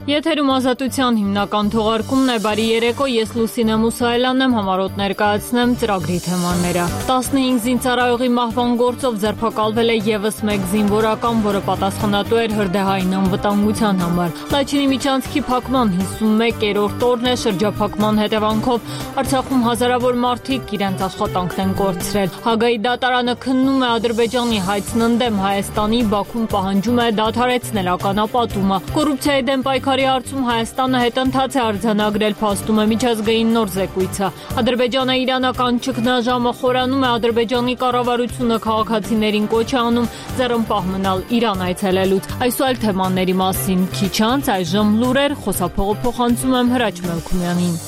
Եթերում ազատության հիմնական թողարկումն է, բարի երեկո, ես Լուսինե Մուսայելյանն եմ, համարոտ ներկայացնեմ ծրագրի թեմաները։ 15 զինծառայողի մահվան գործով ձերբակալվել է ևս մեկ զինվորական, որը պատասխանատու էր հրդեհային անվտանգության համար։ Լաչինի միջանցքի փակման 51-րդ օրն է, շրջափակման հետևանքով Արցախում հազարավոր մարդիկ իրենց աշխատանքն են կորցրել։ Հագայի դատարանը քննում է Ադրբեջանի հայցն ընդդեմ Հայաստանի, Բաքուն պահանջում է դադարեցնել ականապատումը։ Կոռուպցիայի դեմ պայքարի հարցում Հայաստանը հետընթաց է արձանագրել, փաստում է միջազգային նոր զեկույցը։ Ադրբեջանը իրանական ճգնաժամը խորանում է, Ադրբեջանի կառավարությունը քաղաքացիներին կոչ է անում ձեռնպահ մնալ Իրան այցելելուց։ Այս ու այլ թեմաների մասին քիչ անց այժմ լուրեր, խոսափողը փոխանցում եմ Հրաչ Մելքումյանին։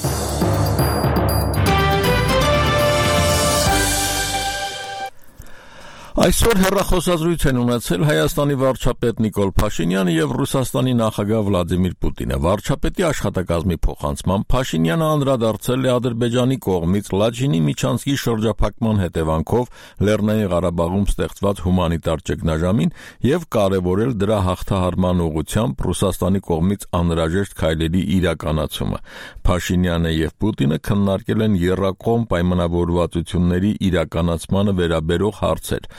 Այսօր հեռախոսազրույց են ունեցել Հայաստանի վարչապետ Նիկոլ Փաշինյանը եւ Ռուսաստանի նախագահ Վլադիմիր Պուտինը։ Վարչապետի աշխատակազմի փոխանցմամբ Փաշինյանը անդրադարձել է Ադրբեջանի կողմից Լաչինի միջանցքի շրջափակման հետևանքով Լեռնային Ղարաբաղում ստեղծված հումանիտար ճգնաժամին եւ կարեւորել դրա հաղթահարման ուղղությամբ Ռուսաստանի կողմից անհրաժեշտ քայլերի իրականացումը։ Փաշինյանը եւ Պուտինը քննարկել են եռակողմ պայմանավորվածությունների իրականացմանը վերաբերող հարցեր։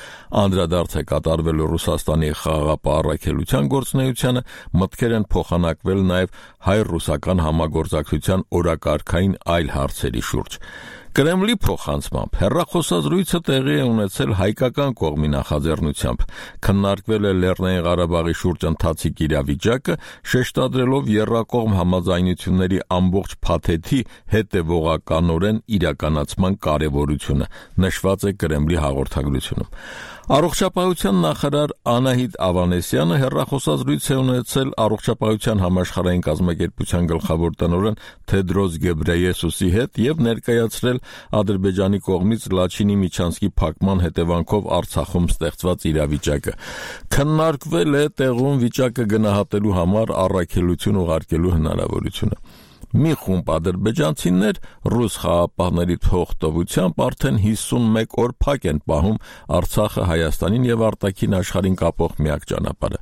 Անդրադարձ է կատարվել Ռուսաստանի խաղաղապահ առաքելության գործունեությանը, մտքեր են փոխանակվել նաև հայ-ռուսական համագործակցության օրակարգային այլ հարցերի շուրջ։ Կրեմլի փոխանցմամբ հեռախոսազրույցը տեղի է ունեցել հայկական կողմի նախաձեռնությամբ, քննարկվել է Լեռնային Ղարաբաղի շուրջ ընթացիկ իրավիճակը, շեշտադրելով եռակողմ համաձայնությունների ամբողջ փաթեթի հետևողականորեն իրականացման կարևորությունը, նշված է Կրեմլի հաղորդագրությունում։ Առողջապահության նախարար Անահիտ Ավանեսյանը հեռախոսազրույց է ունեցել Առողջապահության համաշխարհային կազմակերպության գլխավոր տնօրեն Թեդրոս Գեբրեյեսուսի հետ եւ ներկայացրել Ադրբեջանի կողմից Լաչինի միջանցքի փակման հետևանքով Արցախում ստեղծված իրավիճակը։ Քննարկվել է տեղում վիճակը գնահատելու համար առաքելություն ուղարկելու հնարավորությունը։ Մի խումբ ադրբեջանցիներ ռուս խաղաղապահների թողտվությամբ արդեն 51 օր փակ են պահում Արցախը Հայաստանին եւ արտաքին աշխարհին կապող միակ ճանապարհը։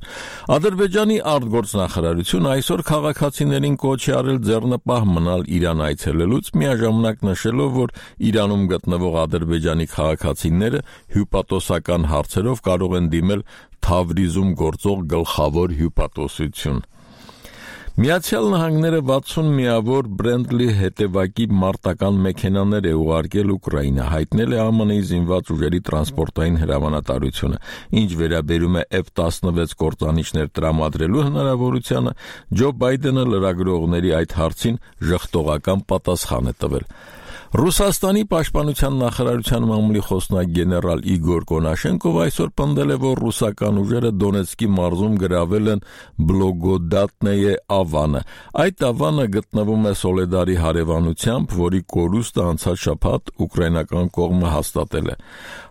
Ադրբեջանի արտգործնախարարությունը այսօր քաղաքացիներին կոչ է արել ձեռնպահ մնալ Իրան այցելելուց, միաժամանակ նշելով, որ Իրանում գտնվող ադրբեջանի քաղաքացիները հյուպատոսական հարցերով կարող են դիմել Թավրիզում գործող գլխավոր հյուպատոսություն։ Միացյալ Նահանգները 60 միավոր Բրենտլի հետևակի մարտական մեքենաներ է ուղարկել Ուկրաինա, հայտնել է ԱՄՆ-ի զինված ուժերի տրանսպորտային հրամանատարությունը, ինչ վերաբերում է F-16 կործանիչներ տրամադրելու հնարավորությանը, Ջո Բայդենը լրագրողների այդ հարցին ժխտողական պատասխան է տվել։ Ռուսաստանի պաշտպանության նախարարության մամուլի խոսնակ գեներալ Իգոր Կոնաշենկով այսօր պնդել է, որ ռուսական ուժերը Դոնեցկի մարզում գրավել են Բլոգոդատնեյե ավանը։ Այդ ավանը գտնվում է Սոլեդարի հարևանությամբ, որի կորուստը անցած շաբաթ ուկրաինական կողմը հաստատել է։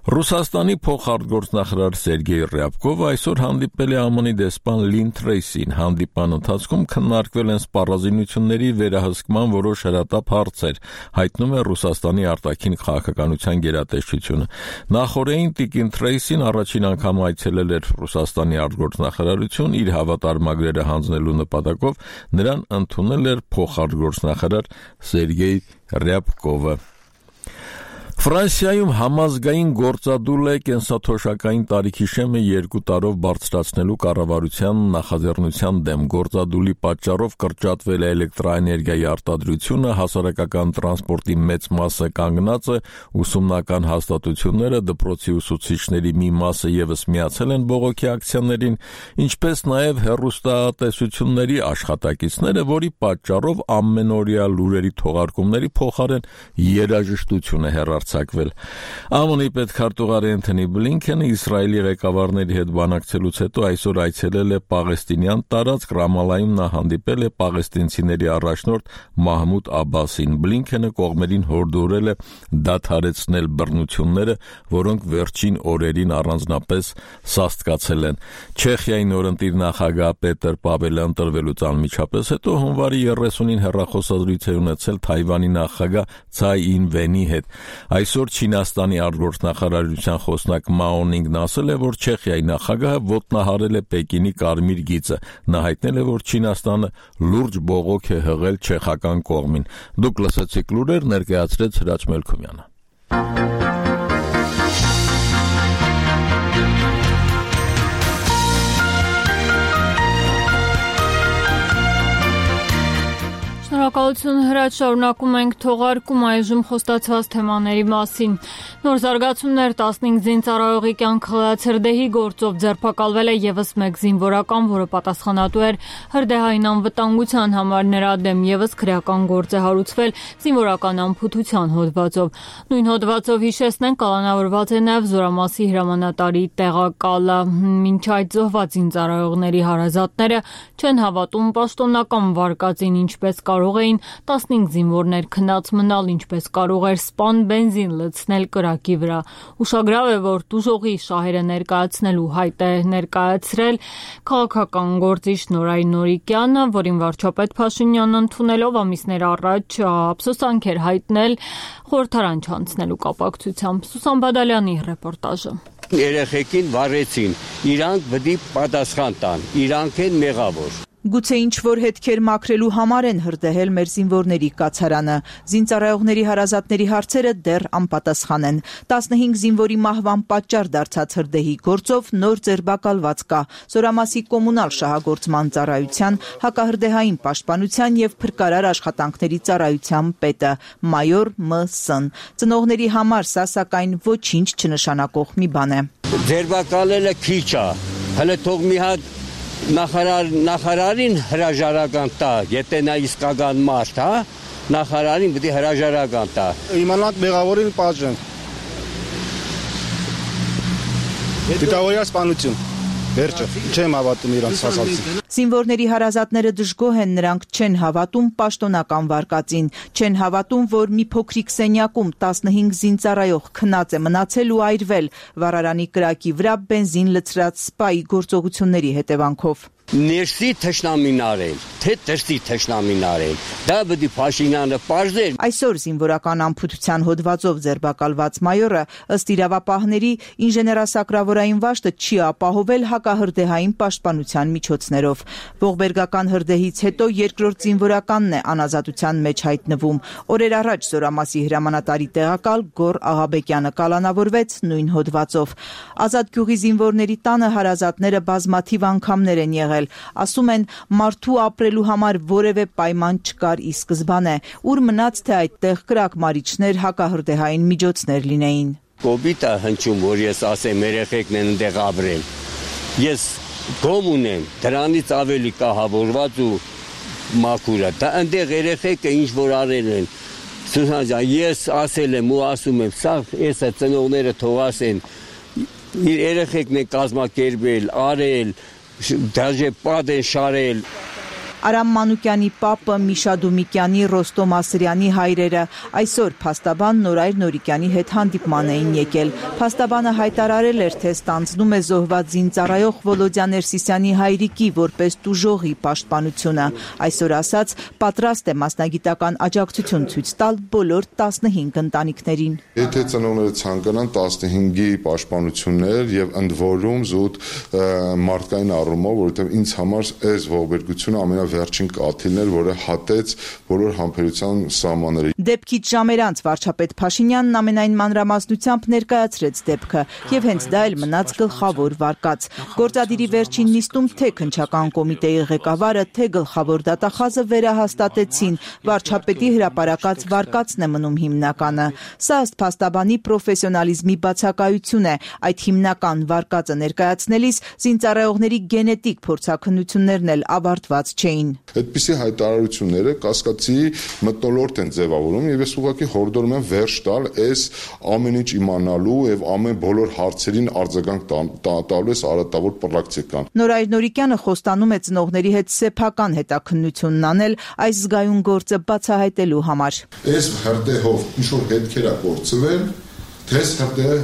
Ռուսաստանի փոխարտգործնախարար Սերգեյ Ռյաբկովը այսօր հանդիպել է ԱՄՆ-ի դեսպան Լին Թրեյսին։ Հանդիպան ընթացքում քննարկվել են սպառազինությունների վերահսկման որոշ հրատապ հարցեր, հայտնում է Ռուսաստանի արտաքին քաղաքականության գերատեսչությունը։ Նախորդին տիկին Թրեյսին առաջին անգամ այցելել էր Ռուսաստանի արտգործնախարարություն իր հավատարմագրերը հանձնելու նպատակով, նրան ընդունել էր փոխարտգործնախարար Սերգեյ Ռյաբկովը։ Ֆրանսիայում համազգային գործադուլ է կենսաթոշակային տարիքի շեմը 2 տարով բարձրացնելու կառավարության նախաձեռնության դեմ։ Գործադուլի պատճառով կրճատվել է էլեկտրաէներգիայի արտադրությունը, հասարակական տրանսպորտի մեծ մասը կանգնած է, ուսումնական հաստատությունները, դպրոցի ուսուցիչների մի մասը ևս միացել են բողոքի ակցիաներին, ինչպես նաև հեռուստատեսությունների աշխատակիցները, որի պատճառով ամենօրյա լուրերի թողարկումների փոխարեն երաժշտություն է հեռարձակվել։ ԱՄՆ-ի պետքարտուղար Էնթոնի Բլինքենը Իսրայելի ղեկավարների հետ բանակցելուց հետո այսօր այցելել է Պաղեստինյան տարածք, Ռամալայում նա հանդիպել է պաղեստինցիների առաջնորդ Մահմուդ Աբասին։ Բլինքենը կողմերին հորդորել է դադարեցնել բռնությունները, որոնք վերջին օրերին առանձնապես սաստկացել են։ Չեխիայի նորընտիր նախագահ Պետր Պավելը ընտրվելուց անմիջապես հետո հունվարի 30-ին հեռախոսազրույց է ունեցել Թայվանի նախագահ Ցայ Ին-վենի հետ։ Այսօր Չինաստանի արտգործնախարարության խոսնակ Մաո Նինգն ասել է, որ Չեխիայի նախագահը ոտնահարել է Պեկինի կարմիր գիծը։ Նա հայտնել է, որ Չինաստանը լուրջ բողոք է հղել չեխական կողմին։ Դուք լսեցիք լուրեր, ներկայացրեց Հրաչ Մելքումյանը։ Շնորհակալություն Հրաչ, շարունակում ենք թողարկում այժմ խոստացված թեմաների մասին։ Նոր զարգացումներ 15 զինծառայողի կյանք խլած հրդեհի գործով ձերբակալվել է եւս մեկ զինվորական, որը պատասխանատու էր հրդեհային անվտանգության համար, նրա դեմ եւս քրեական գործ է հարուցվել զինվորական անփութության հոդվածով։ Նույն հոդվածով հիշեցնենք, կալանավորված է նաեւ Զորամասի հրամանատարի տեղակալը։ Մինչ այդ զոհված զինծառայողների հարազատները չեն հավատում պաշտոնական վարկածին, ինչպես կարող էին 15 զինվորներ քնած մնալ, ինչպես կարող էր սպան բենզին լցնել կրակի վրա։ Ուշագրավ է, որ տուժողի շահերը ներկայացնելու հայտ է ներկայացրել քաղաքական գործիչ Նորայր Նորիկյանը, որին վարչապետ Փաշինյանն ընդունելով ամիսներ առաջ ափսոսանք էր հայտնել խորհրդարան չանցնելու կապակցությամբ։ Սուսան Բադալյանի ռեպորտաժը։ Երեխեքին վառեցին, իրանք պետք է պատասխան տան, իրանք են մեղավոր։ Գուցե ինչ-որ հետքեր մաքրելու համար են հրդեհել մեր զինվորների կացարանը։ Զինծառայողների հարազատների հարցերը դեռ անպատասխան են։ 15 զինվորի մահվան պատճառ դարձած հրդեհի գործով նոր ձերբակալված կա Զորամասի կոմունալ շահագործման ծառայության, հակահրդեհային պաշտպանության եւ փրկարար աշխատանքների ծառայության պետը մայոր Մ.Ս. Ծնողների համար սա սակայն ոչինչ չնշանակող մի բան է։ Ձերբակալելը քիչ է, հələ թող մի հատ նախարարին հրաժարական տա, եթե նա իսկական մարդ, հա, նախարարին պետք է հրաժարական տա։ Իմանանք մեղավորին պատժեն։ Դիտավորյալ սպանություն։ Վերջը, չեմ հավատում իրանց ասածին։ Զինվորների հարազատները դժգոհ են, նրանք չեն հավատում պաշտոնական վարկածին, չեն հավատում, որ մի փոքրիկ սենյակում 15 զինծառայող քնած է մնացել ու այրվել վառարանի կրակի վրա բենզին լցրած սպայի գործողությունների հետևանքով։ Ներսի թշնամին արել, թե դրսի թշնամին արել, դա պետք է Փաշինյանը պարզեր։ Այսօր զինվորական անփութության հոդվածով ձերբակալված մայորը ըստ իրավապահների ինժեներասակրավորային վաշտը չի ապահովել հակահրդեհային պաշտպանության միջոցներով։ Ողբերգական հրդեհից հետո երկրորդ զինվորականն է անազատության մեջ հայտնվում։ Օրեր առաջ Զորամասի հրամանատարի տեղակալ Գոռ Աղաբեկյանը կալանավորվեց նույն հոդվածով։ Ազատ գյուղի զինվորների տանը հարազատները բազմաթիվ անգամներ են եղել։ Ասում են, մարդու ապրելու համար որևէ պայման չկար ի սկզբանե, ուր մնաց թե այդտեղ կրակմարիչներ, հակահրդեհային միջոցներ լինեին։ Կոպիտ է հնչում, որ ես ասեմ երեխեքն են այնտեղ ապրել։ Ես գոմ ունեմ, դրանից ավելի կահավորված ու մաքուրը։ Դա այնտեղ երեխեքը ինչ որ արել են։ Սուսան ջան, ես ասել եմ ու ասում եմ, սա էսա ծնողները թող ասեն, իր երեխեքն են կազմակերպել, արել, դաժե պատ են շարել։ Արամ Մանուկյանի պապը, Միշա Դումիկյանի, Ռոստոմ Ասրյանի հայրերը այսօր փաստաբան Նորայր Նորիկյանի հետ հանդիպման էին եկել։ Փաստաբանը հայտարարել էր, թե ստանձնում է զոհված զինծառայող Վոլոդյա Ներսիսյանի հայրիկի որպես տուժողի պաշտպանությունը։ Այսօր ասաց, պատրաստ է մասնագիտական աջակցություն ցույց տալ բոլոր 15 ընտանիքներին։ Եթե ծնողները ցանկանան 15-ի պաշտպանություններ եւ ընդ որում զուտ մարդկային առումով, որովհետեւ ինձ համար այս ողբերգությունը վերջին կաթիլն էր, որը հատեց բոլոր համբերության սահմանները։ Դեպքից ժամեր անց վարչապետ Փաշինյանն ամենայն մանրամասնությամբ ներկայացրեց դեպքը եւ հենց դա էլ մնաց գլխավոր վարկած։ Գործադիրի վերջին նիստում թե քննչական կոմիտեի ղեկավարը, թե գլխավոր դատախազը վերահաստատեցին, վարչապետի հրապարակած վարկածն է մնում հիմնականը։ Սա ըստ փաստաբանի պրոֆեսիոնալիզմի բացակայություն է։ Այդ հիմնական վարկածը ներկայացնելիս զինծառայողների գենետիկ փորձաքննություններն էլ ավարտված չէին։ Այդպիսի հայտարարությունները կասկածի մթնոլորտ են ձևավորում եւ ես ուղղակի հորդորում եմ վերջ տալ այս ամեն ինչ իմանալու եւ ամեն բոլոր հարցերին արձագանք տալու այս արատավոր պրակտիկան։ Նորայր Նորիկյանը խոստանում է ծնողների հետ սեփական հետաքննությունն անել այս զգայուն գործը բացահայտելու համար։ Այս հրդեհով ինչ որ հետքեր է կորցվել, թե հրդեհը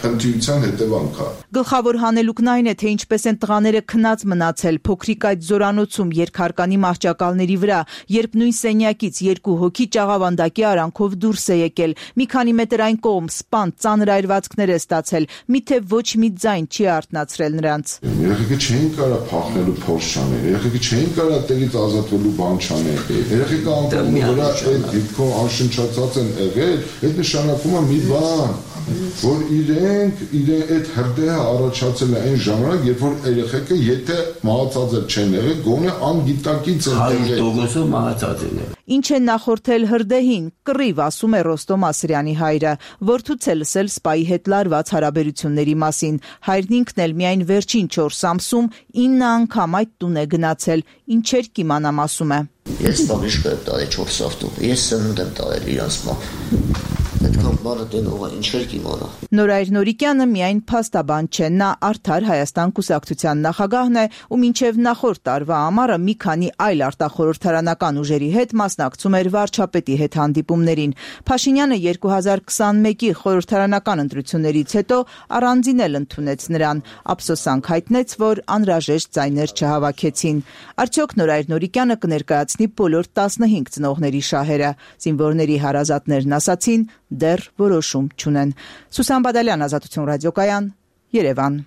փնտրության հետևանք է։ Գլխավոր հանելուկն այն է, թե ինչպես են տղաները քնած մնացել փոքրիկ այդ զորանոցում երկհարկանի մահճակալների վրա, երբ նույն սենյակից 2 հոգի ճաղավանդակի արանքով դուրս է եկել, մի քանի մետր այն կողմ սպան ծանր այրվածքներ է ստացել, միթե ոչ մի ձայն չի արթնացրել նրանց։ Երեխեքը չէին կարա փախնելու փորձ չանել, երեխեքը չէին կարա տեղից ազատվելու բան չանել, երեխեքը անկողնի վրա այդ դիտքով անշնչացած են եղել, այդ նշանակում է մի բան, որ իրենք այդ հրդեհը առաջացել է այն ժամանակ, երբ որ երեխեքը եթե մահացած չեն եղել, գոնե անգիտակից են եղել։ Ինչ է նախորդել հրդեհին, կռիվ, ասում է Ռոստոմ Ասրյանի հայրը, որդուց է լսել սպայի հետ լարված հարաբերությունների մասին։ Հայրն ինքն էլ միայն վերջին 4 ամսում 9 անգամ այդ տուն է գնացել, ինչեր կիմանամ, ասում է։ Ես տաղիշկ եմ տալի 4 ավտում, ես սնունդ եմ տալել իրանց մոտ։ Այդքան բանը տենողը ինչեր կիմանա։ Նորայր Նորիկյանը միայն փաստաբան չէ, նա Արդար Հայաստան կուսակցության նախագահն է ու մինչև նախորդ տարվա ամառը մի քանի այլ արտախորհրդարանական ուժերի հետ մասնակցում էր վարչապետի հետ հանդիպումներին։ Փաշինյանը 2021-ի խորհրդարանական ընտրություններից հետո առանձին էլ ընդունեց նրան, ափսոսանք հայտնեց, որ անհրաժեշտ ձայներ չհավաքեցին։ Արդյոք Նորայր Նորիկյանը կներկայացնի բոլոր 15 ծնողների շահերը։ Զինվորների հարազատներն ասացին, դեռ որոշում չունեն։ Սուսան Բադալյան, Ազատություն ռադիոկայան, Երևան։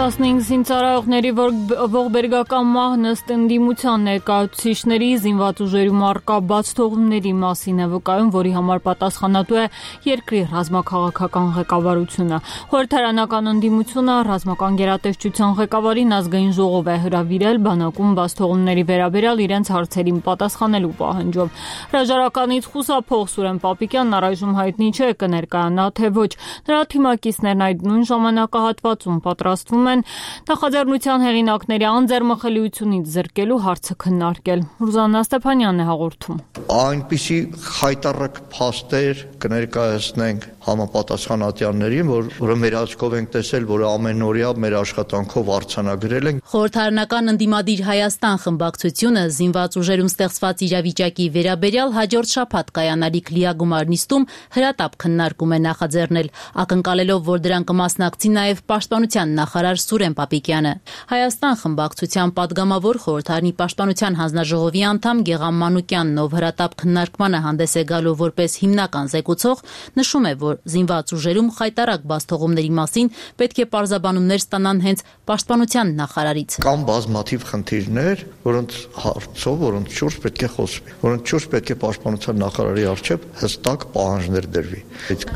15 զինծառայողների ողբերգական մահն ըստ ընդդիմության ներկայացուցիչների զինված ուժերում առկա բացթողումների մասին է վկայում, որի համար պատասխանատու է երկրի ռազմաքաղաքական ղեկավարությունը։ Խորհրդարանական ընդդիմությունը ռազմական գերատեսչության ղեկավարին ազգային ժողով է հրավիրել բանակում բացթողումների վերաբերյալ իրենց հարցերին պատասխանելու պահանջով։ Հրաժարականից խուսափող Սուրեն Պապիկյանն առայժմ հայտնի չէ կներկայանա թե ոչ։ Նրա թիմակիցներն այդ նույն ժամանակահատվածում պատրաստվում են նախաձեռնության հեղինակների անձեռմխելիությունից զրկելու հարցը քննարկել։ Ռուզաննա Ստեփանյանն է հաղորդում։ Այնպիսի խայտառակ փաստեր կներկայացնենք համապատասխանատյաններին, որը մեր աչքով ենք տեսել, որը ամենօրյա մեր աշխատանքով արձանագրել ենք։ Խորհրդարանական ընդդիմադիր Հայաստան խմբակցությունը զինված ուժերում ստեղծված իրավիճակի վերաբերյալ հաջորդ շաբաթ կայանալիք լիագումար նիստում հրատապ քննարկում է նախաձեռնել, ակնկալելով, որ դրան կմասնակցի նաև պաշտպանության նախարար Սուրեն Պապիկյանը։ Հայաստան խմբակցության падգամավոր խորհրդարանի պաշտպանության հանձնաժողովի անդամ Գեգամ Մանուկյանն, ով հրատապ քննարկմանը հանդես է գալու որպես հիմնական զեկուցող, նշում է, որ զինված ուժերում խայտառակ բացթողումների մասին պետք է պարզաբանումներ ստանան հենց պաշտպանության նախարարից։ Կան բազմաթիվ խնդիրներ, որոնց հարցով, որոնց շուրջ պետք է խոսվի, որոնց շուրջ պետք է պաշտպանության նախարարի առջև հստակ պահանջներ դրվի։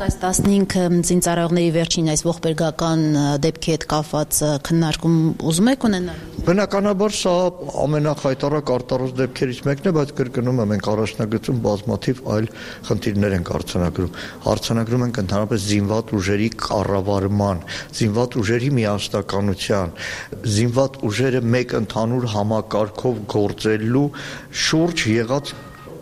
Այս 15 զինծառայողների վերջին այս ողբերգական դեպքի հետ կապված քննարկում ուզում եք ունենալ։ Բնականաբար սա ամենախայտառակ արտարոց դեպքերից մեկն է, բայց կրկնում եմ, մենք առաջնագծում բազմաթիվ այլ խնդիրներ ենք արձանագրում ենք ընդհանրապես զինված ուժերի կառավարման, զինված ուժերի միասնականության, զինված ուժերը մեկ ընդհանուր համակարգով գործելու շուրջ եղած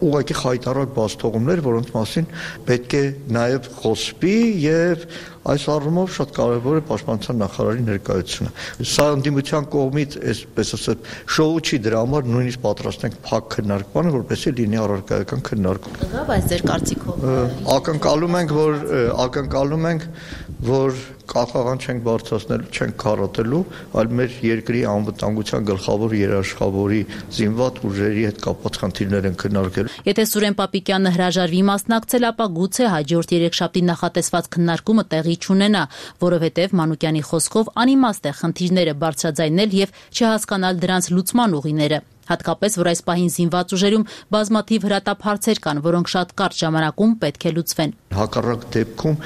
ուղղակի խայտառակ բացթողումներ, որոնց մասին պետք է նաև խոսվի եւ այս առումով շատ կարևոր է պաշտպանության նախարարի ներկայությունը։ Սա ընդդիմության կողմից, այսպես ասած, շոու չի, դրա համար նույնիսկ պատրաստ ենք փակ քննարկմանը, որպեսզի լինի առարկայական քննարկում։ Բայց ձեր կարծիքով ակնկալում ենք, որ կախաղան չենք բարձրացնելու, չենք քարոտելու, այլ մեր երկրի անվտանգության գլխավոր երաշխավորի զինված ուժերի հետ կապված խնդիրներ են քննարկելու։ Եթե Սուրեն Պապիկյանը հրաժարվի մասնակցել, ապա գուցե հաջորդ երեքշաբթի նախատեսված քննարկումը տեղի չունենա, որովհետև Մանուկյանի խոսքով անիմաստ է խնդիրները բարձրաձայնել եւ չհասկանալ դրանց լուծման ուղիները։ Հատկապես, որ այս պահին զինված ուժերում բազմաթիվ հրատապ հարցեր կան, որոնք շատ կարճ ժամանակում պետք է լուծվեն։ Հակառակ դեպքում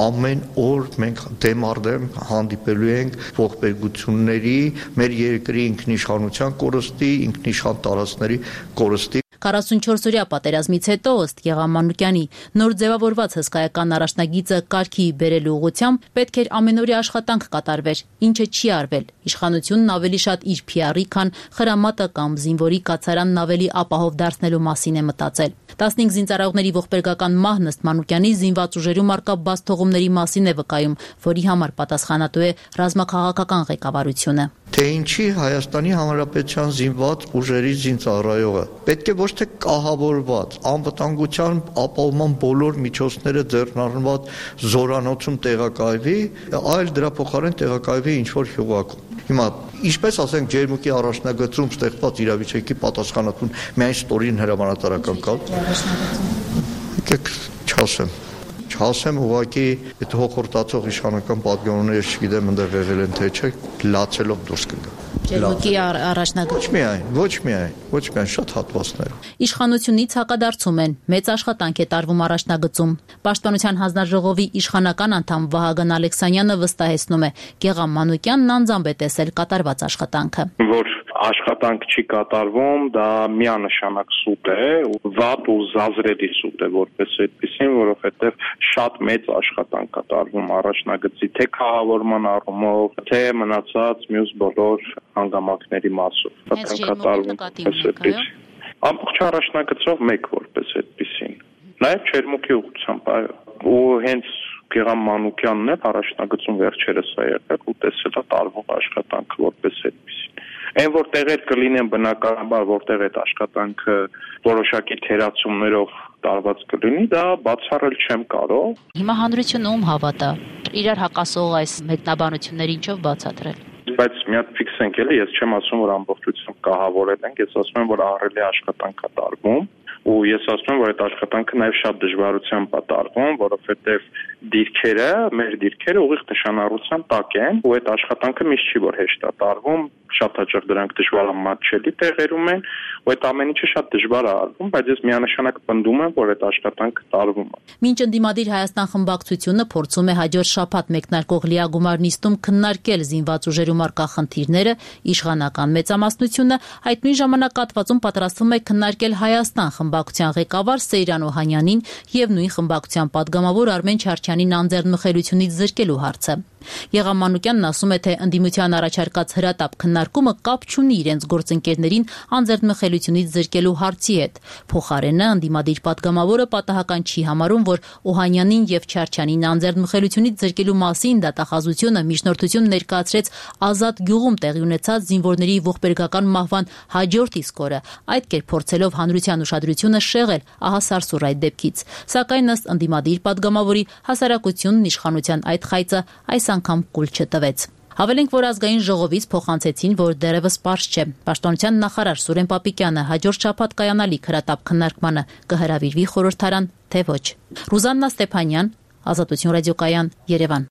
ամեն օր մենք դեմ առ դեմ հանդիպելու ենք ողբերգությունների, մեր երկրի ինքնիշխանության կորստի, ինքնիշխան տարածքների կորստի։ 44-օրյա պատերազմից հետո, ըստ Գեգամ Մանուկյանի, նոր ձևավորված հսկայական առաջնագիծը կարգի բերելու ուղղությամբ պետք էր ամենօրյա աշխատանք կատարվեր, ինչը չի արվել։ Իշխանությունն ավելի շատ իր PR-ի, քան խրամատը կամ զինվորի կացարանն ավելի ապահով դարձնելու մասին է մտածել։ 15 զինծառայողների ողբերգական մահն ըստ Մանուկյանի զինված ուժերում առկա բացթողումների մասին է վկայում, որի համար պատասխանատու է ռազմաքաղաքական ղեկավարությունը։ Թե ինչի Հայաստանի Հանրապետության զինված ուժերի զինծառայողը պետք է ոչ ոչ թե կահավորված, անվտանգության ապահովման բոլոր միջոցները ձեռնարկված զորանոցում տեղակայվի, այլ դրա փոխարեն տեղակայվի ինչ-որ հյուղակում։ Հիմա ինչպես ասենք ջերմուկի առաջնագծում ստեղծված իրավիճակի պատասխանատուն միայն ստորին հրամանատարական կա։ Եկեք չասեմ ուղղակի այդ հոխորտացող իշխանական պատգամները չգիտեմ այնտեղ եղել են թե չէ, լացելով դուրս կգա։ Ջերմուկի առաջնագծում ոչ միայն շատ հատվածներ։ Իշխանությունից հակադարձում են, մեծ աշխատանք է տարվում առաջնագծում։ Պաշտպանության հանձնաժողովի իշխանական անդամ Վահագն Ալեքսանյանը վստահեցնում է, Գեղամ Մանուկյանն անձամբ է տեսել կատարված աշխատանքը։ Որ աշխատանք չի կատարվում, դա միանշանակ սուտ է, վատ ու զազրելի սուտ է որպես այդպեսին, որովհետև շատ մեծ աշխատանք կատարվում առաջնագծի թե կահավորման առումով, թե մնացած մյուս բոլոր հանգամանքների մասով։ Ամբողջ առաջնագծով մեկ որպես այդպեսին։ Նաև Չերմուկի ուղղությամբ ու հենց Գեղամ Մանուկյանն է առաջնագծում վերջերս է եղել ու տեսել է տարվող աշխատանքը որպես այդպեսին։ Այն որ տեղեր կլինեն բնականաբար, որտեղ այդ աշխատանքը որոշակի թերացումներով տարված կլինի, դա բացառել չեմ կարող։ Հիմա հանրությունը ում հավատա։ Իրար հակասող այս մեկնաբանությունները ինչով բացատրել։ Բայց մի հատ ֆիքսենք էլի, ես չեմ ասում, որ ամբողջությամբ կահավորել ենք, ես ասում եմ, որ ահռելի աշխատանք է տարվում, ու ես ասում եմ, որ այդ աշխատանքը նաև շատ դժվարությամբ է տարվում, որովհետև մեր դիրքերը ուղիղ նշանառության տակ են, ու այդ աշխատանքը միշտ չի որ հեշտ է տարվում, շատ հաճախ դրանք դժվարամատչելի տեղերում են, ու այդ ամեն ինչը շատ դժվար է արվում, բայց ես միանշանակ պնդում եմ, որ այդ աշխատանքը տարվում է։ Մինչ ընդդիմադիր Հայաստան խմբակցությունը փորձում է հաջորդ շաբաթ մեկնարկող լիագումար նիստում քննարկել զինված ուժերում առկա խնդիրները, իշխանական մեծամասնությունը այդ նույն ժամանակահատվածում պատրաստվում է քննարկել Հայաստան խմբակցության ղեկավար Սեյրան Օհանյանին եւ նույն խմբակցության падգամավոր Արմեն Չարչյանին անձեռնմխելիությունից զրկելու հարցը։ Գեղամ Մանուկյանն ասում է, թե ընդդիմության առաջարկած հրատապ քննարկումը կապ չունի իրենց գործընկերներին անձեռնմխելիությունից զրկելու հարցի հետ։ Փոխարենը ընդդիմադիր падգամավորը պատահական չի համարում, որ Օհանյանին եւ Չարչյանին անձեռնմխելիությունից զրկելու մասին դատախազությունը միջնորդություն ներկայացրեց Ազատ գյուղում տեղի ունեցած զինվորների ողբերգական մահվան հաջորդ իսկ օրը, այդ կերպ փորձելով հանրության ուշադրությունը շեղել ահա սարսուռ այդ դեպքից։ Սակայն ըստ ընդդիմադիր падգամավորի հասարակությունն իշխանության այդ խայծը այս անգամ կուլ չտվեց։ Հավելենք, որ ազգային ժողովից փոխանցեցին, որ դեռևս պարզ չէ։ Պաշտպանության նախարար Սուրեն Պապիկյանը հաջորդ շաբաթ կայանալիք հրատապ քննարկմանը կհրավիրվի խորհրդարան, թե ոչ։ Ռուզաննա Ստեփանյան, Ազատություն ռադիոկայան, Երևան։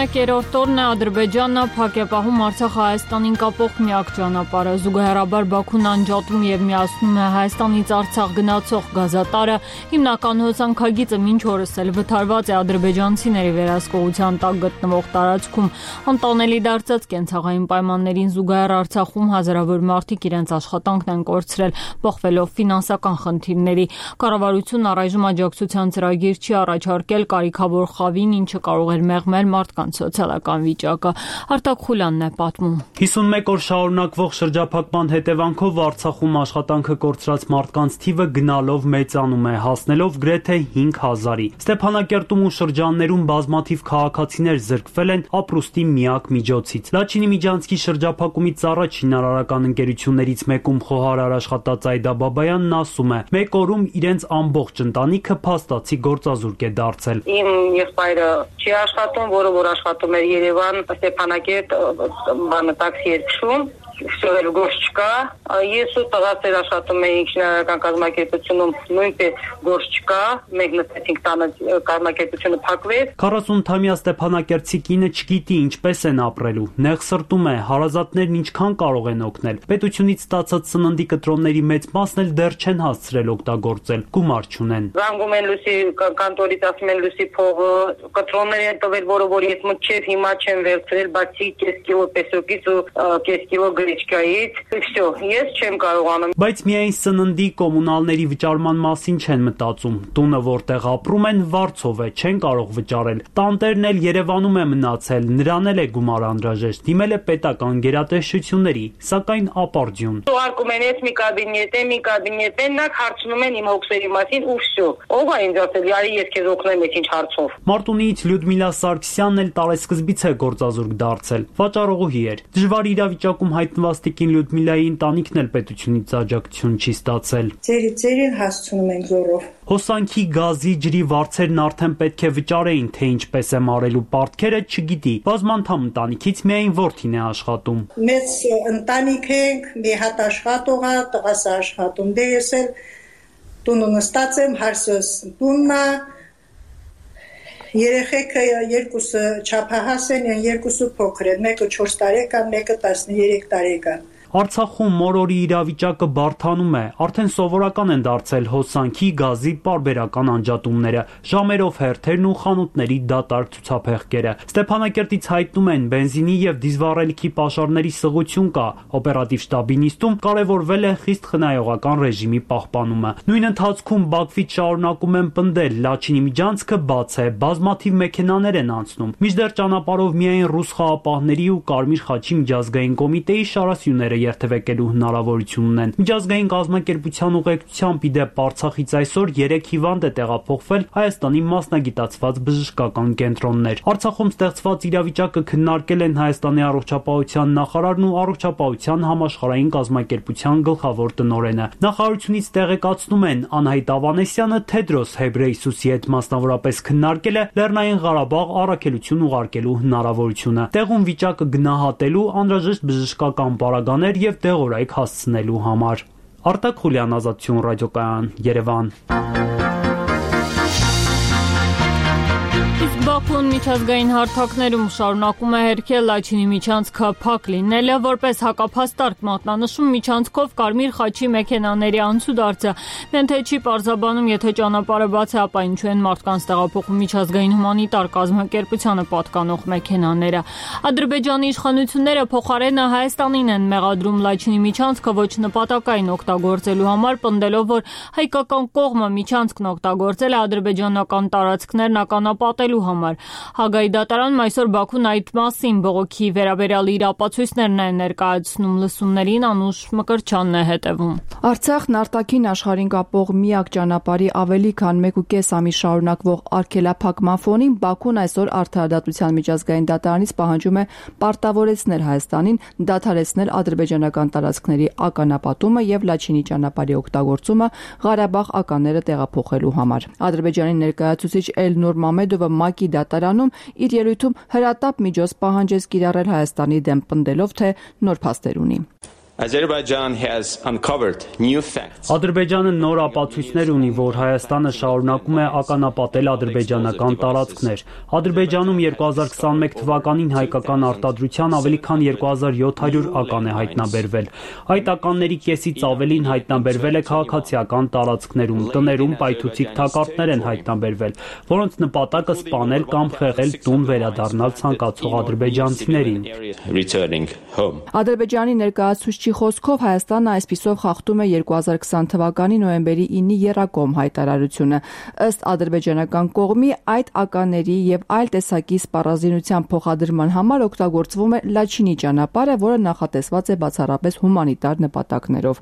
Մեկերորդ օրն է Ադրբեջանը փակ է պահում Արցախ-Հայաստանին կապող միակ ճանապարհը։ Զուգահեռաբար Բաքուն անջատում եւ միացնում է Հայաստանից Արցախ գնացող գազատարը։ Հիմնական հոսանքագիծը մինչ օրս էլ վթարված է ադրբեջանցիների վերահսկողության տակ գտնվող տարածքում։ Անտանելի դարձած կենցաղային պայմաններին զուգահեռ Արցախում հազարավոր մարդիկ իրենց աշխատանքն են կորցրել, բախվելով ֆինանսական խնդիրների։ Կառավարությունն առայժմ աջակցության ծրագիր չի առաջարկել կարիքավոր խավին, ինչը կարող էր մեղմել մարդկանց սոցիալական վիճակը։ Արտակ Խուլյանն է պատմում։ 51 օր շարունակվող շրջափակման հետևանքով Արցախում աշխատանքը կորցրած մարդկանց թիվը գնալով մեծանում է, հասնելով գրեթե 5000-ի։ Ստեփանակերտում ու շրջաններում բազմաթիվ քաղաքացիներ զրկվել են ապրուստի միակ միջոցից։ Լաչինի Միջանցքի շրջափակումից առաջ շինարարական ընկերություններից մեկում խոհարար աշխատած Այդա Բաբայանն ասում է, մեկ օրում իրենց ամբողջ ընտանիքը փաստացի գործազուրկ է դարձել։ Իմ եղբայրը չի աշխատում, որ աշխատում էր Երևան, Ստեփանակերտ, տաքսի էր քշում, շովել գործ չկա։ Ես ու տղաս աշխատում էինք շինարարական կազմակերպությունում, նույնպես գործ չկա, մենք նստեցինք տանը, կազմակերպությունը փակվեց։ 40-ամյա Ստեփանակերտցի կինը չգիտի ինչպես են ապրելու, նեղ սրտում է, հարազատներն ինչքան կարող են օգնել։ Պետությունից ստացած սննդի կտրոնների մեծ մասն էլ դեռ չեն հասցրել օգտագործել, գումար չունեն։ Զանգում են լույսի կանտորից, ասում են լույսի փողը, կտրոններ են տվել, որը որ ես մտչև հիմա չեմ վերցրել, բացի կես կիլո պեսոկից ու կես կիլո Վելիչկայից։ Всё, ես չեմ կարողանում։ Բայց միայն սննդի կոմունալների վճարման մասին չեն մտածում։ Տունը, որտեղ ապրում են, վարձով է, չեն կարող վճարել։ Տանտերն էլ Երևանում է մնացել, նրան էլ է գումար անհրաժեշտ։ Դիմել է պետական գերատեսչությունների, սակայն ապարդյուն։ Ուղարկում են մի կաբինետ, նրանք հարցնում են իմ հոգսերի մասին ու всё։ Ով է ինձ ասել, «Արի ես քեզ օգնեմ այս ինչ հարցով»։ Մարտունիից Լյուդմիլա Սարգսյանն էլ տարեսկզբից է գործազուրկ դարձել։ Վաճառողուհի էր։ Դժվար իրավիճակում հայտնված տիկին Լյուդմիլայի ընտանիքն էլ պետությունից աջակցություն չի ստացել։ Ձերին հասցնում ենք զորով։ Հոսանքի, գազի, ջրի վարձերն արդեն պետք է վճարեին, թե ինչպես է մարելու պարտքերը չգիտի։ Բազմանդամ ընտանիքից միայն որդին է աշխատում։ Մեծ ընտանիք ենք, մի հատ աշխատող է, տղաս աշխատում, դե ես էլ տունը նստած եմ, հարսս տունն է, երեխեքը երկուսը չափահաս են, երկուսը փոքր են, մեկը 4 տարեկան, մեկը 13 տարեկան։ Արցախում մորորի իրավիճակը բարդանում է, արդեն սովորական են դարձել հոսանքի, գազի պարբերական անջատումները, ժամերով հերթերն ու խանութների դատարկ ցուցափեղկերը։ Ստեփանակերտից հայտնում են բենզինի եւ դիզվառելիքի պաշարների սղություն կա, օպերատիվ շտաբի նիստում կարևորվել է խիստ խնայողական ռեժիմի պահպանումը։ Նույն ընթացքում Բաքվից շարունակում են պնդել, Լաչինի միջանցքը բաց է, բազմաթիվ մեքենաներ են անցնում, մինչդեռ ճանապարհով միայն ռուս խաղապահների ու Կարմիր խաչի միջազգային կոմիտեի շարասյուները երթևեկելու հնարավորություն ունեն։ Միջազգային կազմակերպության ուղեկցությամբ իդեպ Արցախից այսօր 3 հիվանդ է տեղափոխվել Հայաստանի մասնագիտացված բժշկական կենտրոններ։ Արցախում ստեղծված իրավիճակը քննարկել են Հայաստանի առողջապահության նախարարն ու առողջապահության համաշխարհային կազմակերպության գլխավոր տնօրենը։ Նախարարությունից տեղեկացնում են, Անահիտ Ավանեսյանը Թեդրոս Հեբրեյսուսի հետ մասնավորապես քննարկել է Լեռնային Ղարաբաղ առաքելություն ուղարկելու հնարավորությունը։ Տեղում վիճակը գնահատելու, անհրաժեշտ բժշկական պարագաներ եւ դեղորայք հասցնելու համար։ Արտակ Խուլյան, Ազատություն ռադիոկայան, Երևան։ Բաքուն միջազգային հարթակներում շարունակում է հերքել Լաչինի միջանցքը փակ լինելը, որպես հակափաստարկ մատնանշում միջանցքով Կարմիր խաչի մեքենաների անցուդարձը։ Միայն թե չի պարզաբանում, եթե ճանապարհը բաց է, ապա ինչու են մարդկանց տեղափոխում միջազգային հումանիտար կազմակերպությանը պատկանող մեքենաները։ Ադրբեջանի իշխանությունները փոխարենը Հայաստանին են մեղադրում Լաչինի միջանցքը ոչ նպատակային օգտագործելու համար, պնդելով, որ հայկական կողմը միջանցքն օգտագործել է ադրբեջանական տարածքներն ականապատելու համար։ Հագայի դատարանում այսօր Բաքուն այդ մասին բողոքի վերաբերյալ իր ապացույցներն է ներկայացնում, լսումներին Անուշ Մկրտչյանն է հետևում։ Արցախն արտաքին աշխարհին կապող միակ ճանապարհի ավելի քան 1.5 ամիս շարունակվող արգելափակման ֆոնին Բաքուն այսօր Արդարադատության միջազգային դատարանից պահանջում է պարտավորեցնել Հայաստանին դադարեցնել ադրբեջանական տարածքների ականապատումը եւ Լաչինի ճանապարհի օգտագործումը Ղարաբաղ ականները տեղափոխելու համար։ Ադրբեջանի ներկայացուցիչ Էլնուր Մամեդովը ՄԱԿ-ի դատարանում իր ելույթում հրատապ միջոց պահանջեց կիրառել Հայաստանի դեմ, պնդելով, թե նոր փաստեր ունի։ Ադրբեջանը նոր ապացույցներ ունի, որ Հայաստանը շարունակում է ականապատել ադրբեջանական տարածքներ։ Ադրբեջանում 2021 թվականին հայկական արտադրության ավելի քան 2700 ական է հայտնաբերվել։ Այդ ականների կեսից ավելին հայտնաբերվել է քաղաքացիական տարածքներում, տներում պայթուցիկ թակարդներ են հայտնաբերվել, որոնց նպատակը սպանել կամ խեղել տուն վերադառնալ ցանկացող ադրբեջանցիներին։ Ադրբեջանի ներկայացուցիչի խոսքով Հայաստանը այսպիսով խախտում է 2020 թվականի նոյեմբերի 9-ի եռակողմ հայտարարությունը։ Ըստ ադրբեջանական կողմի այդ ականների եւ այլ տեսակի սպառազինության փոխադրման համար օգտագործվում է Լաչինի ճանապարհը, որը նախատեսված է բացառապես հումանիտար նպատակներով։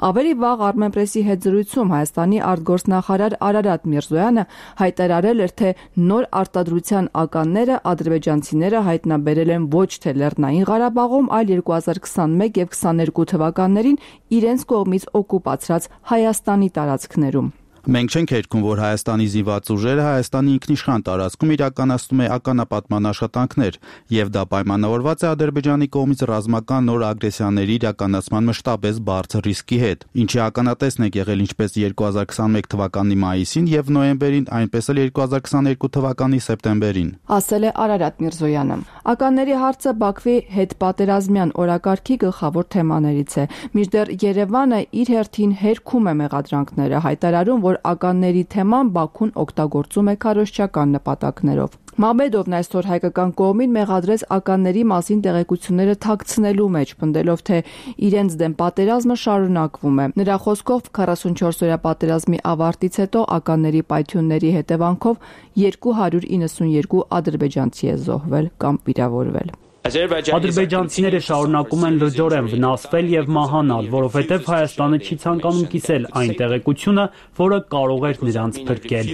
Ավելի վաղ Armenpress-ի հետ զրույցում Հայաստանի արտգործնախարար Արարատ Միրզոյանը հայտարարել էր, թե նոր արտադրության ականները ադրբեջանցիները հայտնաբերել են ոչ թե Լեռնային Ղարաբաղում, այլ 2021 եւ 22 թվականներին իրենց կողմից օկուպացրած Հայաստանի տարածքներում։ Մենք չենք հերքում, որ Հայաստանի զինված ուժերը Հայաստանի ինքնիշխան տարածքում իրականացնում է ականապատման աշխատանքներ, եւ դա պայմանավորված է Ադրբեջանի կողմից ռազմական նոր ագրեսիաների իրականացման մշտապես բարձր ռիսկի հետ, ինչի ականատեսն է եղել ինչպես 2021 թվականի մայիսին եւ նոյեմբերին, այնպես էլ 2022 թվականի սեպտեմբերին, ասել է Արարատ Միրզոյանը։ Ականների հարցը Բաքվի հետ պատերազմյան օրակարգի գլխավոր թեմաներից է։ Մինչդեռ Երևանը իր հերթին հերքում է մեղադրանքները, հայտարարում, որ ականների թեման Բաքուն օգտագործում է քարոզչական նպատակներով։ Մամեդովն այսօր հայկական կողմին մեղադրեց ականների մասին տեղեկությունները թաքցնելու մեջ, պնդելով, թե իրենց դեմ պատերազմը շարունակվում է։ Նրա խոսքով 44-օրյա պատերազմի ավարտից հետո ականների պայթյունների հետևանքով 292 ադրբեջանցի է զոհվել կամ վիրավորվել։ Ադրբեջանցիները շարունակում են լրջորեն վնասվել եւ մահանալ, որովհետեւ Հայաստանը չի ցանկանում կիսել այն տեղեկությունը, որը կարող էր նրանց փրկել։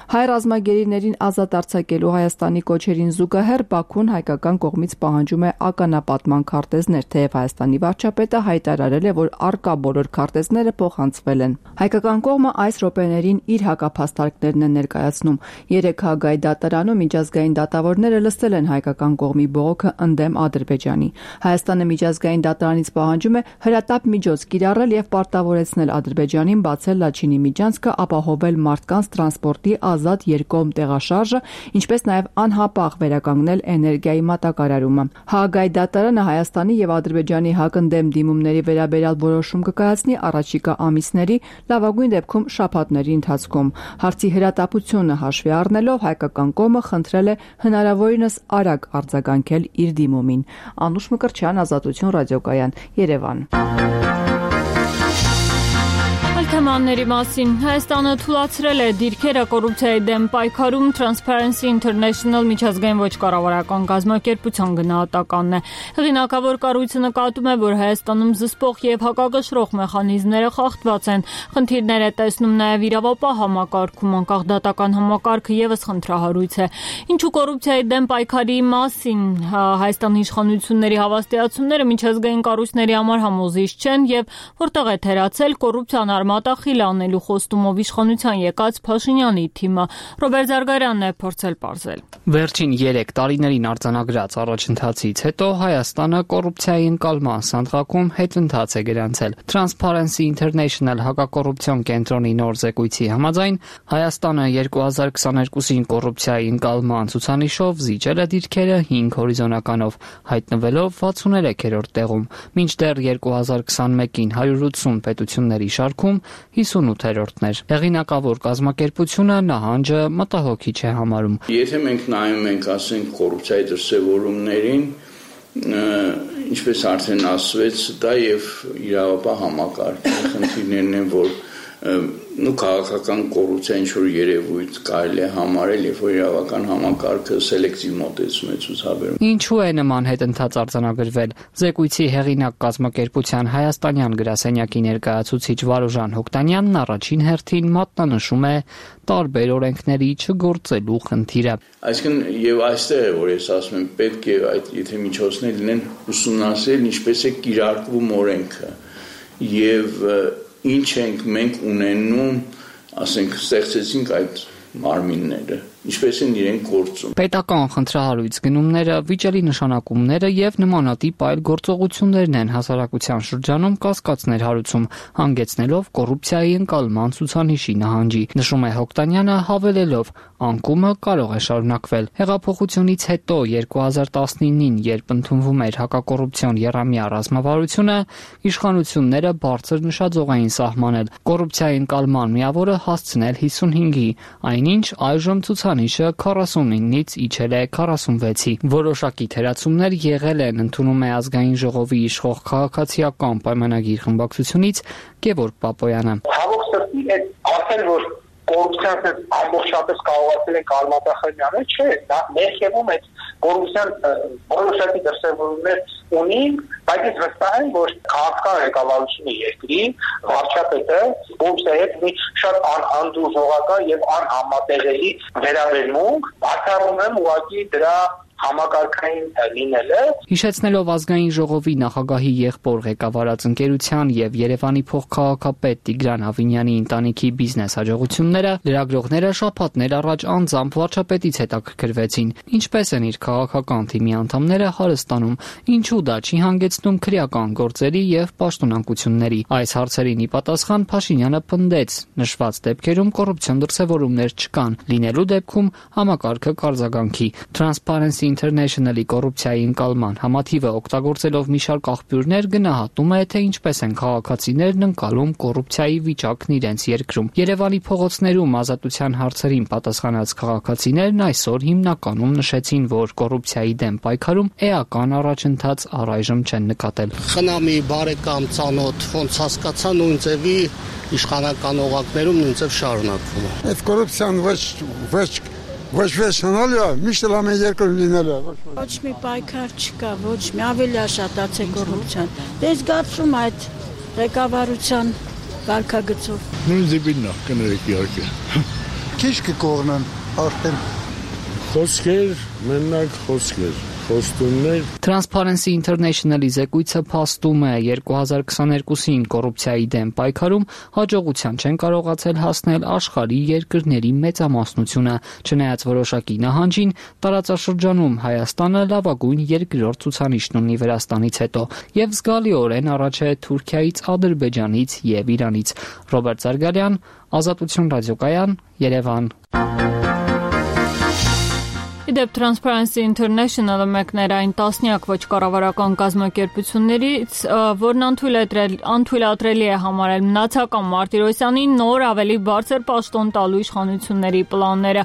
Հայ ռազմագերիներին ազատ արձակելու Հայաստանի կոչերին զուգահեռ Բաքուն հայկական կողմից պահանջում է ականապատման քարտեզներ, թեև Հայաստանի վարչապետը հայտարարել է, որ առկա բոլոր քարտեզները փոխանցվել են։ Հայկական կողմը այս րոպեներին իր հակափաստարկներն է ներկայացնում։ 3 Հագայի դատարանում միջազգային դատավորները լսել են հայկական կողմի բողոքը ընդդեմ Ադրբեջանի։ Հայաստանը միջազգային դատարանից պահանջում է հրատապ միջոց կիրառել եւ պարտավորեցնել Ադրբեջանին բացել Լաչինի միջանցքը, ապահովել մարդկանց տրանսպորտի ազատ երկկողմ տեղաշարժը, ինչպես նաեւ անհապաղ վերականգնել էներգիայի մատակարարումը։ Հագայի դատարանը Հայաստանի եւ Ադրբեջանի հակընդդեմ դիմումների վերաբերյալ որոշում կկայացնի առաջիկա ամիսների, լավագույն դեպքում շաբաթների ընթացքում։ Հարցի հրատապությունը հաշվի առնելով հայկական կողմը խնդրել է հնարավորինս արագ արձագանքել իր դիմումին։ Անուշ Մկրտչյան, Ազատություն ռադիոկայան, Երևան։ Թեմաների մասին Հայաստանը թույլատրել է դիրքերը կոռուպցիայի դեմ պայքարում Transparency International միջազգային ոչ կառավարական կազմակերպության գնահատականն է։ Հեղինակավոր կառույցը նկատում է, որ Հայաստանում զսպող եւ հակակշռող մեխանիզմները խախտված են։ Խնդիրներ է տեսնում նաեւ իրավապահ համակարգում, անկախ դատական համակարգը եւս խնդրահարույց է։ Ինչու կոռուպցիայի դեմ պայքարի մասին Հայաստանի իշխանությունների հավաստիացումները միջազգային կառույցների համար համոզիչ չեն եւ որտեղ է թերացել կոռուպցիան արմատախիլ անելու խոստումով իշխանության եկած Փաշինյանի թիմը։ Ռոբերտ Զարգարյանն է փորձել պարզել։ Վերջին 3 տարիներին արձանագրած առաջընթացից հետո Հայաստանը կոռուպցիայի ընկալման սանդղակում հետընթաց է գրանցել։ Transparency International հակակոռուպցիոն կենտրոնի նոր զեկույցի համաձայն Հայաստանը 2022-ին կոռուպցիայի ընկալման ցուցանիշով զիջել է դիրքերը 5 հորիզոնականով, հայտնվելով 63-րդ տեղում, մինչդեռ 2021-ին 180 պետությունների շարքում 58-րդն էր։ Հեղինակավոր կազմակերպությունը նահանջը մտահոգիչ է համարում։ Եթե մենք նայում ենք, ասենք, կոռուպցիայի դրսևորումներին, ինչպես արդեն ասվեց, դա եւ իրավապահ համակարգի խնդիրներն են, որ քաղաքական կոռուպցիա ինչ-որ երևույթ կարելի է համարել, երբ որ իրավական համակարգը սելեկտիվ մոտեցում է ցուցաբերում։ Ինչու է նման հետընթաց արձանագրվել։ Զեկույցի հեղինակ կազմակերպության հայաստանյան գրասենյակի ներկայացուցիչ Վարուժան Հոկտանյանն առաջին հերթին մատնանշում է տարբեր օրենքների չգործելու խնդիրը։ Այսինքն եւ այստեղ է, որ ես ասում եմ, պետք է այդ եթե միջոցներ լինեն ուսումնասիրել ինչպես է կիրարկվում օրենքը եւ ինչ ենք մենք ունենում, ասենք, ստեղծեցինք այդ մարմինները, ինչպես են իրենք գործում։ Պետական խնդրահարույց գնումները, վիճելի նշանակումները եւ նմանատիպ այլ գործողություններն են հասարակության շրջանում կասկածներ հարուցում, հանգեցնելով կոռուպցիայի ընկալման ցուցանիշի նահանջի, նշում է Հոկտանյանը, հավելելով, անկումը կարող է շարունակվել։ Հեղափոխությունից հետո 2019-ին, երբ ընդունվում էր հակակոռուպցիոն եռամյա ռազմավարությունը, իշխանությունները բարձր նշաձող էին սահմանել կոռուպցիայի ընկալման միավորը հասցնել 55-ի, այնինչ այժմ ցուցանիշը 49-ից իջել է 46-ի։ Որոշակի թերացումներ եղել են, ընդունում է ազգային ժողովի իշխող քաղաքացիական պայմանագիր խմբակցությունից Գևորգ Պապոյանը։ Հավոք սրտի այդ ասել, որ կոռուպցիան ամբողջապես կարողացել են արմատախիլները, չէ, դա ներքևում այդ կոռուպցիան որոշակի դրսևորումներ ունի, բայց ես վստահ եմ, որ քաղաքական ղեկավարությունը երկրի վարչապետը կոռուպցիայի հետ մի շատ անդուրժողական եւ անհամատեղելի վերաբերմունք, բացառում եմ ուղղակի դրա համակարգային լինելը։ Հիշեցնելով ազգային ժողովի նախագահի եղբոր ղեկավարած ընկերության եւ Երևանի փոխքաղաքապետ Տիգրան Ավինյանի ընտանիքի բիզնես հաջողությունները, լրագրողները շաբաթներ առաջ անձամբ վարչապետից հետաքրքրվեցին, ինչպես են իր քաղաքական թիմի անդամները հարստանում, ինչու դա չի հանգեցնում քրեական գործերի եւ պաշտոնանկությունների։ Այս հարցերին ի պատասխան Փաշինյանը պնդեց, նշված դեպքերում կոռուպցիոն դրսևորումներ չկան, լինելու դեպքում համակարգը կարձագանքի։ Transparency International-ի կոռուպցիայի ընկալման համաթիվը օգտագործելով մի շարք աղբյուրներ գնահատում է, թե ինչպես են քաղաքացիներն ընկալում կոռուպցիայի վիճակն իրենց երկրում։ Երևանի փողոցներում ազատության հարցերին պատասխանած քաղաքացիներն այսօր հիմնականում նշեցին, որ կոռուպցիայի դեմ պայքարում էական առաջընթաց առայժմ չեն նկատել։ Խնամի բարեկամ ծանոթ ոնց հասկացա նույն ձևի իշխանական օղակներում նույն ձև շարունակվում է։ Այդ կոռուպցիան ոչ վերջանալ է, միշտ լամեն երկրում լինել է։ Ոչ մի պայքար չկա, ոչ մի ավելի աշատաց է կոռուպցիան։ Դե զգացում այդ ղեկավարության վարքագծով։ Նույն ձևին նա կներեք իհարկե։ Քիչ կկողնան արդեն խոսքեր, մենակ խոսքեր։ Transparency International-ի զեկույցը փաստում է 2022-ին կոռուպցիայի դեմ պայքարում հաջողության չեն կարողացել հասնել աշխարհի երկրների մեծամասնությունը, չնայած որոշակի նահանջին տարածաշրջանում Հայաստանը լավագույն երկրորդ ցուցանիշն ունի Վրաստանից հետո եւ զգալիորեն առաջ է Թուրքիայից, Ադրբեջանից եւ Իրանից։ Ռոբերտ Զարգարյան, Ազատություն ռադիոկայան, Երևան։ Իդեպ Transparency International-ը մեկներ այն տասնյակ ոչ կառավարական կազմակերպություններից, որն անթույլատրելի է համարել մնացական Մարտիրոսյանին նոր ավելի բարձր պաշտոն տալու իշխանությունների պլանները,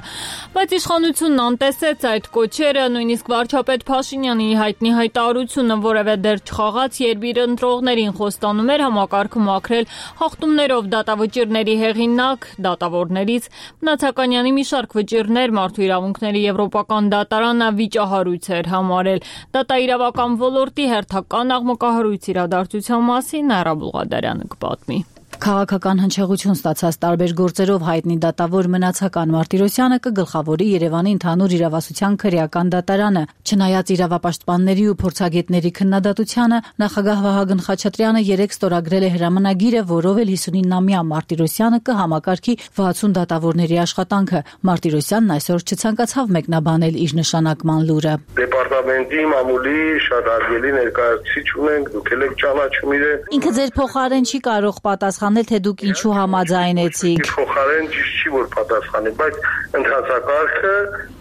բայց իշխանությունն անտեսեց այդ կոչերը, նույնիսկ վարչապետ Փաշինյանի հայտնի հայտարարությունը որևէ դեր չխաղաց, երբ իր ընտրողներին խոստանում էր համակարգը մաքրել հաղթումներով դատավճիռների հեղինակ դատավորներից, Մնացականյանի մի շարք վճիռներ մարդու իրավունքների եվրոպական դատարանը վիճահարույց էր համարել։ Դատաիրավական ոլորտի հերթական աղմկահարույց իրադարձության մասին Նաիրա Բուղադարյանը կպատմի։ Քաղաքական հնչեղություն ստացած տարբեր գործերով հայտնի դատավոր Մնացական Մարտիրոսյանը կգլխավորի Երևանի ընդհանուր իրավասության քրեական դատարանը։ Չնայած իրավապաշտպանների ու փորձագետների քննադատությանը, նախագահ Վահագն Խաչատրյանը երեկ ստորագրել է հրամանագիրը, որով էլ 59-ամյա Մարտիրոսյանը կհամակարգի 60 դատավորների աշխատանքը։ Մարտիրոսյանն այսօր չցանկացավ մեկնաբանել իր նշանակման լուրը։ Դեպարտամենտի մամուլի շատ արգելի ներկայացուցիչ ունենք, դուք եք ճանաչում իրեն։ Ինքը ձեր փոխարեն չի կարող պատասխանել, թե դուք ինչու համաձայնեցիք։ Փոխարեն ճիշտ չի որ պատասխանի, բայց ընթացակարգը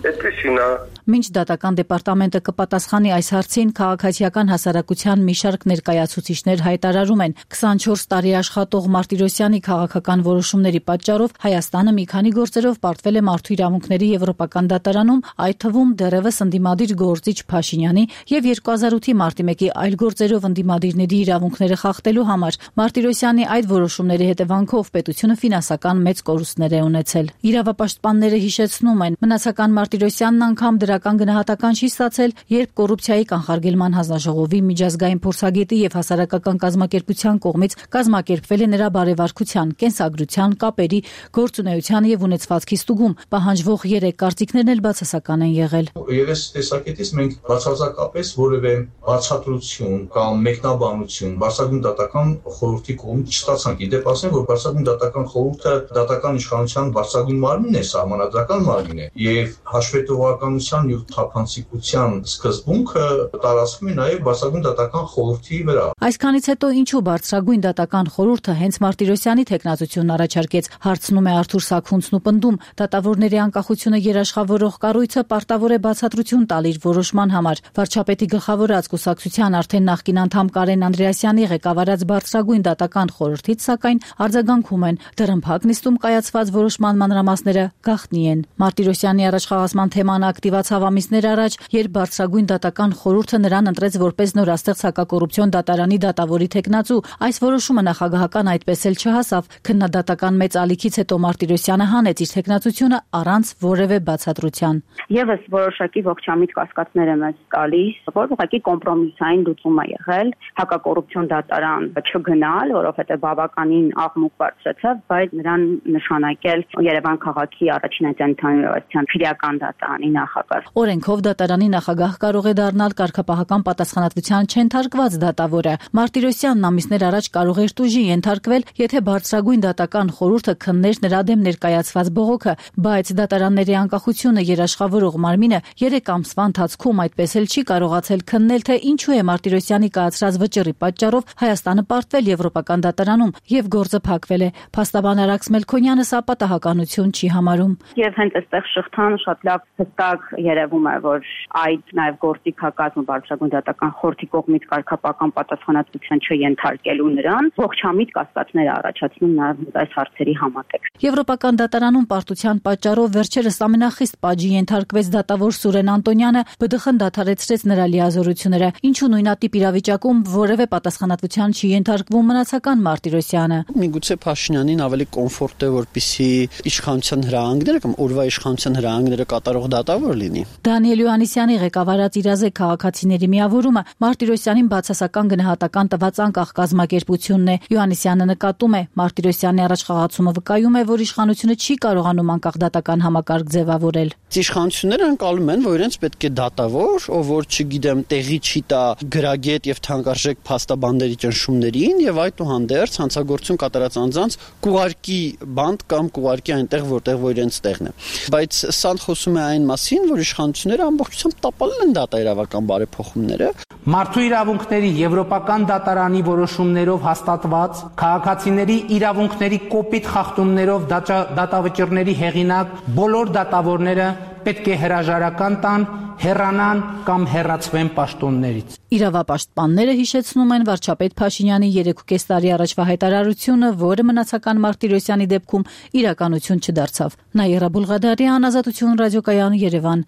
այդպեսին է։ Մինչ դատական դեպարտամենտը կպատասխանի այս հարցին, քաղաքացիական հասարակության մի շարք ներկայացուցիչներ հայտարարում են 24 տարի աշխատող Մարտիրոսյանի քաղաքական որոշումների պատճառով Հայաստանը մի քանի գործերով պարտվել է մարդու իրավունքների եվրոպական դատարանում, այդ թվում դեռևս ընդդիմադիր գործիչ Փաշինյանի եւ 2008-ի մարտի 1-ի այլ գործերով ընդդիմադիրների իրավունքները խախտելու համար։ Մարտիրոսյանի այդ որոշումների հետևանքով պետությունը ֆինանսական մեծ կորուստներ է ունեցել։ Իրավապաշտպանները հիշեցնում են, Մնացական Մարտիրոսյանն անգամ դրական գնահատական չի ստացել, երբ կոռուպցիայի կանխարգելման հանձնաժողովի միջազգային փորձագետի եւ հասարակական կազմակերպության կողմից կազմակերպվել է նրա բարեվարքության, կենսագրության, կապերի, գործունեության եւ ունեցվածքի ստուգում, պահանջվող 3 կարծիքներն էլ բացասական են եղել։ Եվ այս տեսակետից մենք բացարձակապես որևէ բացատրություն կամ մեկնաբանություն Բարձրագույն դատական խորհրդի կողմից չստացանք։ Իդեպ ասեմ, որ Բարձրագույն դատական խորհուրդը դատական իշխանության բարձրագույն մարմինն է, սահմանադրական մարմին է, եւ հաշվետվողականության եւ թափանցիկության սկզբունքը տարածվում է նաեւ Բարձրագույն դատական խորհրդի վրա։ Այսքանից հետո ինչու Բարձրագույն դատական խորհուրդը հենց Մարտիրոսյանի թեկնածությունն առաջարկեց, հարցնում է Արթուր Սաքունցն ու պնդում, դատավորների անկախությունը երաշխավորող կառույցը պարտավոր է բացատրություն տալ իր որոշման համար։ Վարչապետի գլխավորած կուսակցության արդեն նախկին անդամ Կարեն Անդրեասյանի ղեկավարած Բարձրագույն դատական խորհրդից սակայն արձագանքում են, դռնփակ նիստում կայացված որոշման մանրամասները գաղտնի են։ Մարտիրոսյանի առաջխաղացման թեման ակտիվացավ ամիսներ առաջ, երբ Բարձրագույն դատական խորհուրդը նրան ընտրեց որպես նորաստեղծ հակակոռուպցիոն դատարանի դատավորի թեկնածու։ Այս որոշումը նախագահական այդպես էլ չհասավ։ Քննադատական մեծ ալիքից հետո Մարտիրոսյանը հանեց իր թեկնածությունը առանց որևէ բացատրության։ Եվս որոշակի ողջամիտ կասկածներ է մեզ տալիս, որ ուղղակի կոմպրոմիսային լուծում է եղել հակակոռուպցիոն դատարան չգնալ, որովհետև բավականին աղմուկ բարձրացավ, բայց նրան նշանակել Երևան քաղաքի առաջին ընդհանրության քրեական դատարանի նախագահ։ Օրենքով դատարանի նախագահ կարող է դառնալ կարգապահական պատասխանատվության չենթարկված դատավորը։ Մարտիրոսյանն ամիսներ առաջ կարող էր տուժի ենթարկվել, եթե Բարձրագույն դատական խորհուրդը քններ նրա դեմ ներկայացված բողոքը, բայց դատարանների անկախությունը երաշխավորող մարմինը 3 ամսվա ընթացքում այդպես էլ չի կարողացել քննել, թե ինչու է Մարտիրոսյանի կայացրած վճռի պատճառով Հայաստանը պարտվել եվրոպական դատարանում եւ գործը փակվել է։ Փաստաբան Արաքս Մելքոնյանը սա պատահականություն չի համարում։ Եվ հենց այստեղ շղթան շատ լավ հստակ երևում է, որ այդ նաև գործիքակազմը բարձրագույն դատական խորհրդի կողմից կարգապահական պատասխանատվության չենթարկելու նրան ողջամիտ կասկածներ առաջացնում նաև այս հարցերի համատեքստ։ Եվրոպական դատարանում պարտության պատճառով վերջերս ամենախիստ պատժի ենթարկվեց դատավոր Սուրեն Անտոնյանը, ԲԴԽ-ն դադարեցրեց նրա լիազորությունները, ինչու նույնատիպ իրավիճակում որևէ պատասխանատվության չի ենթարկվում մնացական Մարտիրոսյանը։ Միգուցե Փաշինյանին ավելի կոմֆորտ է, որպեսզի իշխանության հրահանգները կամ օրվա իշխանության հրահանգները կատարող դատավոր լինի։ Դանիել Յոհաննիսյանի ղեկավարած իրազեկ քաղաքացիների միավորումը Մարտիրոսյանին բացասական գնահատական տված անկախ կազմակերպությունն է։ Յոհաննիսյանը նկատում է, Մարտիրոսյանի առաջխաղացումը վկայում է, որ իշխանությունը չի կարողանում անկախ դատական համակարգ ձևավորել։ Իշխանությունները անցալում են, որ իրենց պետք է դատավոր, ով որ չգիտեմ, տեղի չի տա գրագետ եւ թանկարժեք փաստաբանների ճնշումներին եւ այդուհանդերձ հանցագործություն կատարած անձանց կուղարկի բանդ կամ կուղարկի այնտեղ, որտեղ որ իրենց տեղն է։ Բայց սա խոսում է այն մասին, որ իշխանությունները ամբողջությամբ տապալել են դատաիրավական բարեփոխումները։ Մարդու իրավունքների Եվրոպական դատարանի որոշումներով հաստատված քաղաքացիների իրավունքների կոպիտ խախտումներով դատավճիռների հեղինակ բոլոր դատավորները պետք է հրաժարական տան, հեռանան կամ հեռացվեն պաշտոններից։ Իրավապաշտպանները հիշեցնում են վարչապետ Փաշինյանի 3.5 տարի առաջվա հայտարարությունը, որը մնացական Մարտիրոսյանի դեպքում իրականություն չդարձավ։ Նաիրա Բուլղադարյան, Ազատություն ռադիոկայան, Երևան։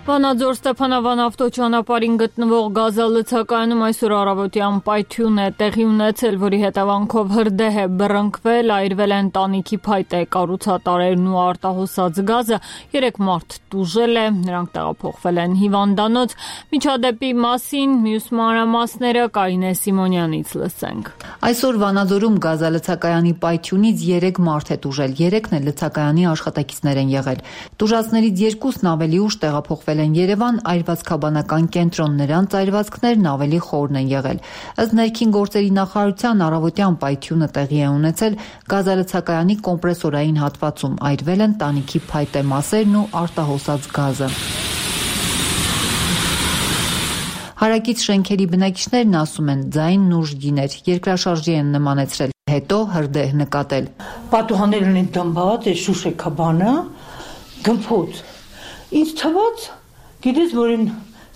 Վանաձոր Ստեփանավան ավտոճանապարհին գտնվող գազալցակայանում այսօր առավոտյան պայթյուն է տեղի ունեցել, որի հետևանքով հրդեհ է բռնկվել, այրվել են տանիքի փայտե կառուցատարերն ու արտահոսած գազը, 3 մարդ տուժել է, նրանք տեղափոխվել են հիվանդանոց։ Միջադեպի մասին մյուս մանրամասները Կարինե Սիմոնյանից լսենք։ Այսօր Վանաձորում գազալցակայանի պայթյունից 3 մարդ է տուժել, 3-ն էլ լցակայանի աշխատակիցներ են եղել։ Տուժածներից 2-ն ավելի ուշ տեղափոխվել են Երևան, այրվածքաբանական կենտրոն, նրանց այրվածքներն ավելի խորն են եղել։ Ըստ ներքին գործերի նախարարության առավոտյան պայթյունը տեղի է ունեցել գազալցակայանի կոմպրեսորային հատվածում, այրվել են տանիքի փայտե մասերն ու արտահոսած գազը։ Հարակից շենքերի բնակիչներն ասում են, ձայնն ուժգին էր, երկրաշարժի են նմանեցրել, հետո հրդեհ նկատել։ Պատուհաններն են դմբած, շուշեկաբանը, գմփոց։ Ինձ թվաց, գիտես, որ են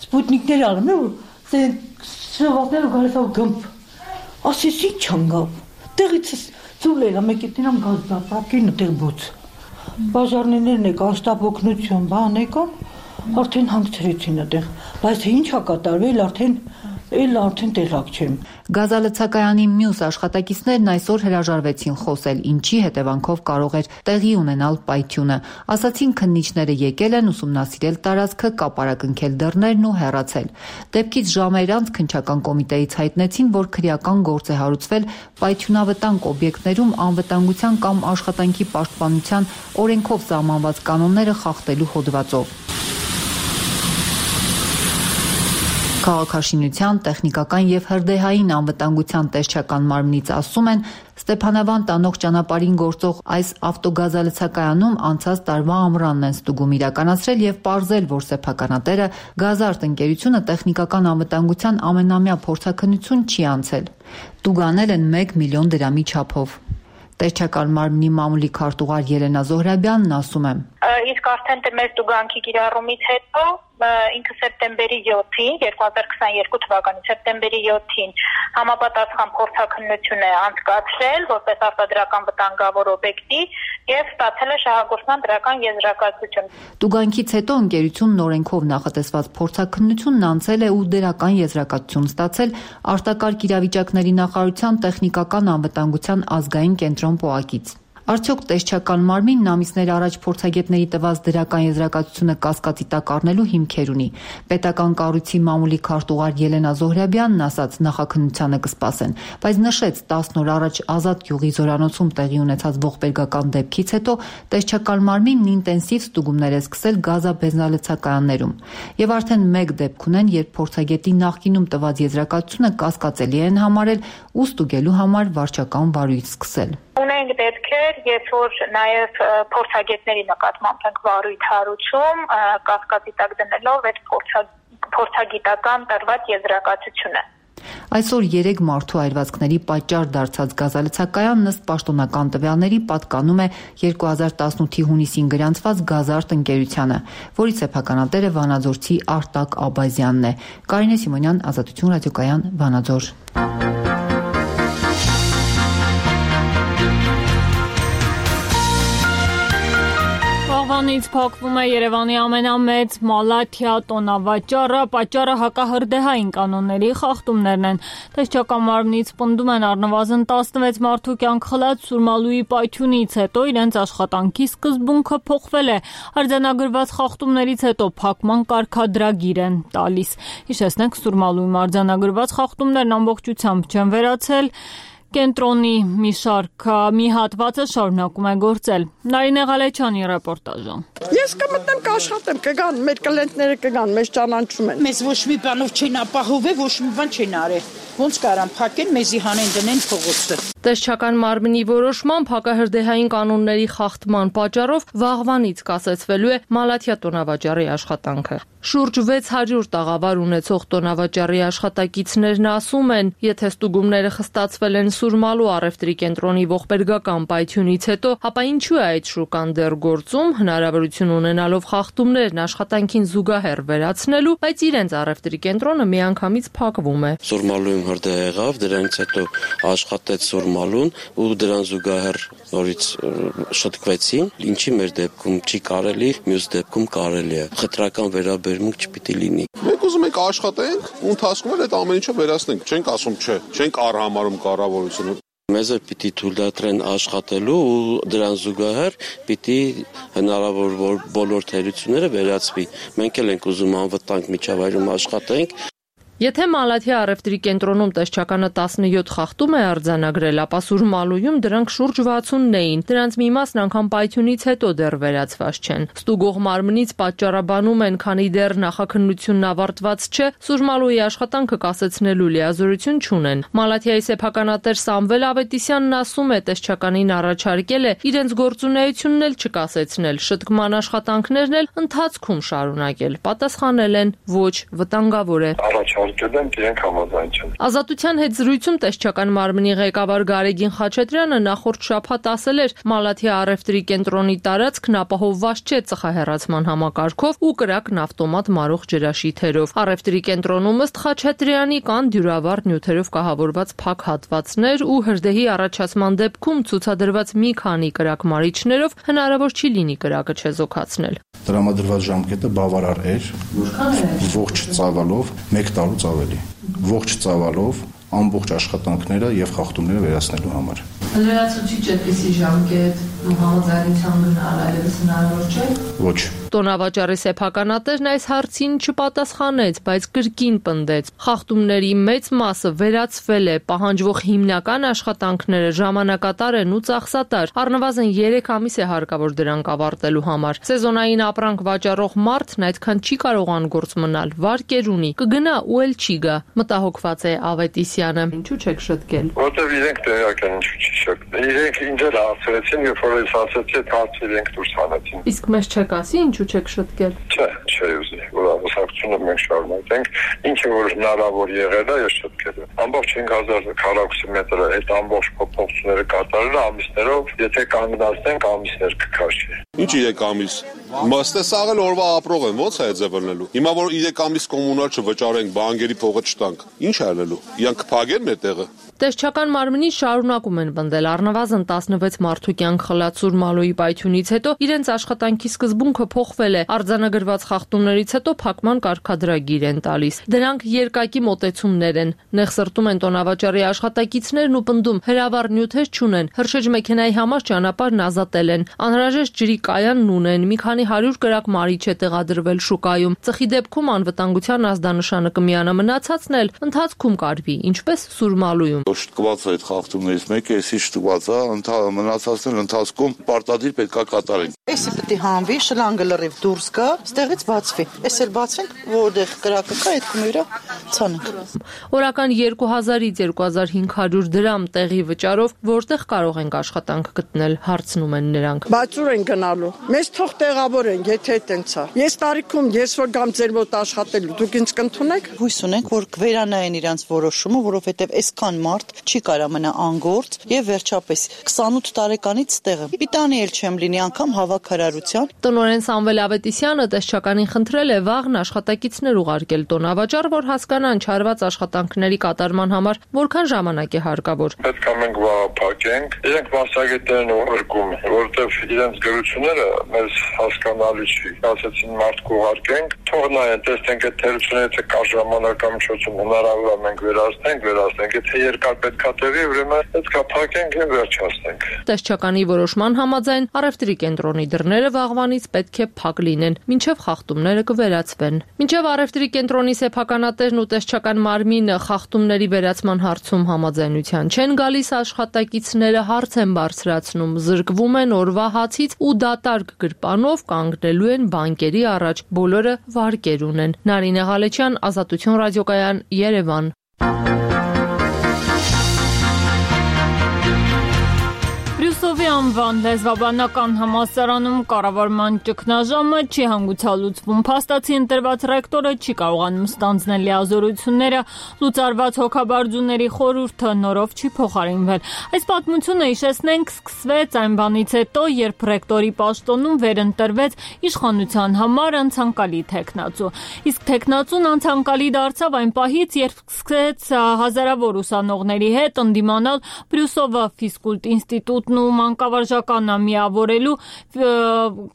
սպուտնիկներ ալում է, որ սրվատները գալիս ավ գմփ։ Ասես ինչ անգավ, տեղից ծուլել է, մեկ էտին ամ գազ դապրակին ու տեղ բոց։ Բաժարներն եք, անշտապ օգնություն, բան եկան, արդեն հանգցրեցին այդեղ, բայց ինչ ա կատարվել, արդեն տեղակ չեմ։ Գազալցակայանի մյուս աշխատակիցներն այսօր հրաժարվեցին խոսել, ինչի հետևանքով կարող էր տեղի ունենալ պայթյունը։ Ասացին, քննիչները եկել են ուսումնասիրել տարածքը, կապարակնքել դռներն ու հեռացել։ Դեպքից ժամեր անց քննչական կոմիտեից հայտնեցին, որ քրեական գործ է հարուցվել պայթյունավտանգ օբյեկտներում անվտանգության կամ աշխատանքի պաշտպանության օրենքով սահմանված կանոնները խախտելու հոդվածով։ Քաղաքաշինության, տեխնիկական եւ հրդեհային անվտանգության տեսչական մարմնից ասում են, Ստեփանավան տանող ճանապարհին գործող այս ավտոգազալցակայանում անցած տարվա ամռանն են ստուգում իրականացրել եւ պարզել, որ սեփականատերը Գազարտ ընկերությունը տեխնիկական անվտանգության ամենամյա փորձաքննություն չի անցել։ Տուգանել են 1 միլիոն դրամի չափով։ Տեսչական մարմնի մամուլի քարտուղար Ելենա Զոհրաբյանն ասում է. Իսկ արդեն մեր տուգանքի կիրառումից հետո ինքը սեպտեմբերի 7-ին 2022 թվականի սեպտեմբերի 7-ին համապատասխան փորձաքննություն է անցկացրել որպես արտադրական վտանգավոր օբյեկտի եւ ստացել է շահագործման դրական եզրակացություն։ Տուգանքից հետո ընկերությունն օրենքով նախատեսված փորձաքննությունն անցել է ու դրական եզրակացություն ստացել արտակարգ իրավիճակների նախարարության տեխնիկական անվտանգության ազգային կենտրոն ՊՕԱԿ-ից։ Արդյոք տեսչական մարմինն ամիսներ առաջ փորձագետների տված դրական եզրակացությունը կասկածի տակ առնելու հիմքեր ունի։ Պետական կառույցի մամուլի քարտուղար Ելենա Զոհրաբյանն ասաց, նախաքննությանը կսպասեն, բայց նշեց 10 օր առաջ Ազատ գյուղի զորանոցում տեղի ունեցած ողբերգական դեպքից հետո տեսչական մարմինն ինտենսիվ ստուգումներ է սկսել գազաբենզալցակայաններում։ Եվ արդեն մեկ դեպք ունեն, երբ փորձագետի նախկինում տված եզրակացությունը կասկածելի են համարել ու ստուգելու համար վարչական վարույթ սկսել։ Ունենք դեպքեր, երբ որ նաև փորձագետների նկատմամբ ենք վարույթ հարուցում, կասկածի տակ դնելով այդ փորձագիտական տրված եզրակացությունը։ Այսօր 3 մարդու այրվածքների պատճառ դարձած գազալցակայանն ըստ պաշտոնական տվյալների պատկանում է 2018-ի հունիսին գրանցված Գազարտ ընկերությանը, որի սեփականատերը վանաձորցի Արտակ Աբազյանն է։ Կարինե Սիմոնյան, Ազատություն ռադիոկայան, Վանաձոր։ Վաղվանից փակվում է Երևանի ամենամեծ Մալաթիա տոնավաճառը, պատճառը հակահրդեհային կանոնների խախտումներն են։ Տեսչական մարմնից պնդում են առնվազն 16 մարդու կյանք խլած Սուրմալուի պայթյունից հետո իրենց աշխատանքի սկզբունքը փոխվել է։ Արձանագրված խախտումներից հետո փակման կարգադրագիր են տալիս։ Հիշեցնենք, Սուրմալուի արձանագրված խախտումներն ամբողջությամբ չեն վերացել։ Կենտրոնի մի հատվածը շարունակում է գործել։ Նարինե Ղալեչյանի ռեպորտաժը։ Ես կմտնեմ կաշխատեմ, կգան, մեր կլենտները կգան, մեզ ճանաչում են։ Մեզ ոչ մի բանով չեն ապահովել, ոչ մի բան չեն արել։ Ոնց կարան փակեն, մեզի հանեն դնեն փողոցը։ Տեսչական մարմնի որոշմամբ հակահրդեհային կանոնների խախտման պատճառով վաղվանից կասեցվելու է Մալաթիա տոնավաճառի աշխատանքը։ Շուրջ 600 տաղավար ունեցող տոնավաճառի աշխատակիցներն ասում են, եթե ստուգումները խստացվել են Սուրմալու առևտրի կենտրոնի ողբերգական պայթյունից հետո, ապա ինչու է այդ շուկան դեռ գործում, հնարավորություն ունենալով խախտումներն աշխատանքին զուգահեռ վերացնելու, բայց իրենց առևտրի կենտրոնը միանգամից փակվում է։ Սուրմալույում հրդեհ եղավ, դրանից հետո աշխատեց Սուրմալուն ու դրան զուգահեռ նորից շտկվեցին, ինչի մեր դեպքում չի կարելի, մյուս դեպքում կարելի է։ Խտրական վերաբերմունք չպիտի լինի։ Մենք ուզում ենք աշխատենք, ու ընթացքում էլ այդ ամեն ինչը վերացնենք։ Չենք ասում չէ, չենք առհամարում կառավարությունը։ Մեզ էլ պիտի թույլատրեն աշխատելու ու դրան զուգահեռ պիտի հնարավոր որ բոլոր թերությունները վերացվի։ Մենք էլ ենք ուզում անվտանգ միջավայրում աշխատենք։ Եթե Մալաթիա առևտրի կենտրոնում տեսչականը 17 խախտում է արձանագրել, ապա Սուրմալույում դրանք շուրջ 60-ն էին։ Դրանց մի մասն անգամ պայթյունից հետո դեռ վերացված չեն։ Ստուգող մարմնից պատճառաբանում են, քանի դեռ նախաքննությունն ավարտված չէ, Սուրմալուի աշխատանքը կասեցնելու լիազորություն չունեն։ Մալաթիայի սեփականատեր Սամվել Ավետիսյանն ասում է, տեսչականին առաջարկել է իրենց գործունեությունն էլ չկասեցնել, շտկման աշխատանքներն էլ ընթացքում շարունակել։ Պատասխանել են՝ ոչ, վտանգավոր է։ Ազատության հետ զրույցում տեսչական մարմնի ղեկավար Գարեգին Խաչատրյանը նախորդ շաբաթ ասել էր, Մալաթիա առևտրի կենտրոնի տարածքն ապահովված չէ ծխահեռացման համակարգով ու կրակն ավտոմատ մարող ջրաշիթերով։ Առևտրի կենտրոնում ըստ Խաչատրյանի կան դյուրավառ նյութերով կահավորված փակ հատվածներ ու հրդեհի առաջացման դեպքում ցուցադրված մի քանի կրակմարիչներով հնարավոր չի լինի կրակը չեզոքացնել։ Տրամադրված ժամկետը բավարար էր, ողջ ծավալով 1 տարուց ավելի։ Ողջ ծավալով ամբողջ աշխատանքները եւ խախտումները վերացնելու համար։ Լրացուցիչ այդպիսի ժամկետ համաձայնության գնալ այլևս հնարավոր չէ։ Ոչ։ Տոնավաճառի սեփականատերն այս հարցին չպատասխանեց, բայց կրկին պնդեց. խախտումների մեծ մասը վերացվել է, պահանջվող հիմնական աշխատանքները ժամանակատար են ու ծախսատար, առնվազն 3 ամիս է հարկավոր դրանք ավարտելու համար։ Սեզոնային ապրանք վաճառող մարդն այդքան չի կարող անգործ մնալ, վարկեր ունի, կգնա ու էլ չի գա, մտահոգված է Ավետիսյանը։ Ինչու չեք շտկել։ Որտեւ իրենք տեղյակ են, ինչու չի շտկել։ Իրենք ինձ էլ ասացին, երբ որ ես ասացի, հարցը իրենք դուրս հանեցին։ Իսկ մեզ չեք ասի, ինչու չեք շտկել։ Չէ, ուզի, որ ամուսնությունը մենք շարունակենք, ինչը որ հնարավոր եղել է, ես շտկել եմ։ Ամբողջ 5000 քառակուսի մետրը այդ ամբողջ փոփոխությունները կատարել ամիսներով, եթե կանգնացնենք ամիսներ կքաշի։ Ինչ 3 ամիս։ Մստե սաղել օրվա ապրող են, ո՞նց է այդ ձևնելու։ Հիմա որ 3 ամիս կոմունալ չվճարենք, բանկերի փողը չտանք, ինչ է ալելու։ Իրանք կփակեն մեր տեղը։ Տեսչական մարմնի շարունակում են պնդել առնվազն 16 մարդու կյանք խլած Սուրմալուի պայթյունից հետո իրենց աշխատանքի սկզբունքը փոխվել է, արձանագրված խախտումներից հետո փակման կարգադրագիր են տալիս։ Դրանք երկակի մոտեցումներ են։ Նեղսրտում են տոնավաճառի աշխատակիցներն ու պնդում հրավառ նյութեր չունեն, հրշեջ մեքենայի համար ճանապարհն ազատել են, անհրաժեշտ ջրի կայանն ունեն, մի քանի 100 կրակ մարիչ է տեղադրվել շուկայում։ Ծխի դեպքում անվտանգության ազդանշանը կմիանա, մնացածն էլ ընթացքում կարվի, ինչպես Սուրմալուում։ Շտկված է այդ խախտումներից մեկը, էսի շտկված է, մնացածն ընթացքում պարտադիր պետքա կատարենք։ Էսի պետք է հանվի, շլանգը լրիվ դուրս գա, ստեղից բացվի։ Էս էլ բացենք, որտեղ կրակը կա, այդ կմիրա ցանենք։ Օրական 2000-ից 2500 դրամ տեղի վճարով որտեղ կարող ենք աշխատանք գտնել, հարցնում են նրանք։ Բացուր են գնալ գնալու։ Մեզ թող տեղավորեն, եթե այդտենց է։ Ես տարիքում ես որ գամ ձեր մոտ աշխատելու, դուք ինձ կընդունեք։ Հույս ունենք, որ կվերանային իրանց որոշումը, որովհետև այսքան մարդ չի կարա մնա անգործ եւ վերջապես 28 տարեկանից ստեղը։ Պիտանի էլ չեմ լինի անգամ հավաքարարության։ Տնօրեն Սամվել Ավետիսյանը տեսչականին խնդրել է վաղն աշխատակիցներ ուղարկել տոնավաճառ, որ հասկանան չարված աշխատանքների կատարման համար որքան ժամանակ է հարկավոր։ Պետք է մենք վաղափակենք, իրենք մասնագետներն ուղարկում, որովհետև իրենց գրությունները մեզ հասկանալի չի։ Ասեցին մարդ կուղարկենք, թող նայեն, տեսնենք այդ թերությունից կա ժամանակամիջոցում հնարավոր է մենք վերացնենք, եթե երկար պետքա տևի, ուրեմն պետք է փակենք եւ վերջացնենք։ Տեսչականի որոշման համաձայն առևտրի կենտրոնի դռները վաղվանից պետք է փակ լինեն, մինչև խախտումները կվերացվեն։ Մինչև առևտրի կենտրոնի սեփականատերն ու տեսչական մարմինը խախտումների վերացման հարցում համաձայնության չեն գալիս, աշխատակիցները հարց են բարձրացնում, զրկվում են օրվա հացից ու դատարկ գրպանով կանգնելու են բանկերի առաջ։ Բոլորը վարկեր ունեն։ Նարինե Ղալեչյան, Ազատություն ռադիոկայան, Երևան։ Բրյուսովի անվան լեզվաբանական համալսարանում կառավարման ճգնաժամը չի հանգուցալուծվում։ Փաստացի ընտրված ռեկտորը չի կարողանում ստանձնել լիազորությունները, լուծարված հոգաբարձուների խորհուրդը նորով չի փոխարինվել։ Այս պատմությունը հիշեցնենք սկսվեց այն բանից հետո, երբ ռեկտորի պաշտոնում վերընտրվեց իշխանության համար անցանկալի թեկնածու։ Իսկ թեկնածուն անցանկալի դարձավ այն պահից, երբ սկսեց հազարավոր ուսանողների հետ ընդդիմանալ Բրյուսովը ֆիզկուլտ ինստիտուտ ու մանկավարժականը միավորելու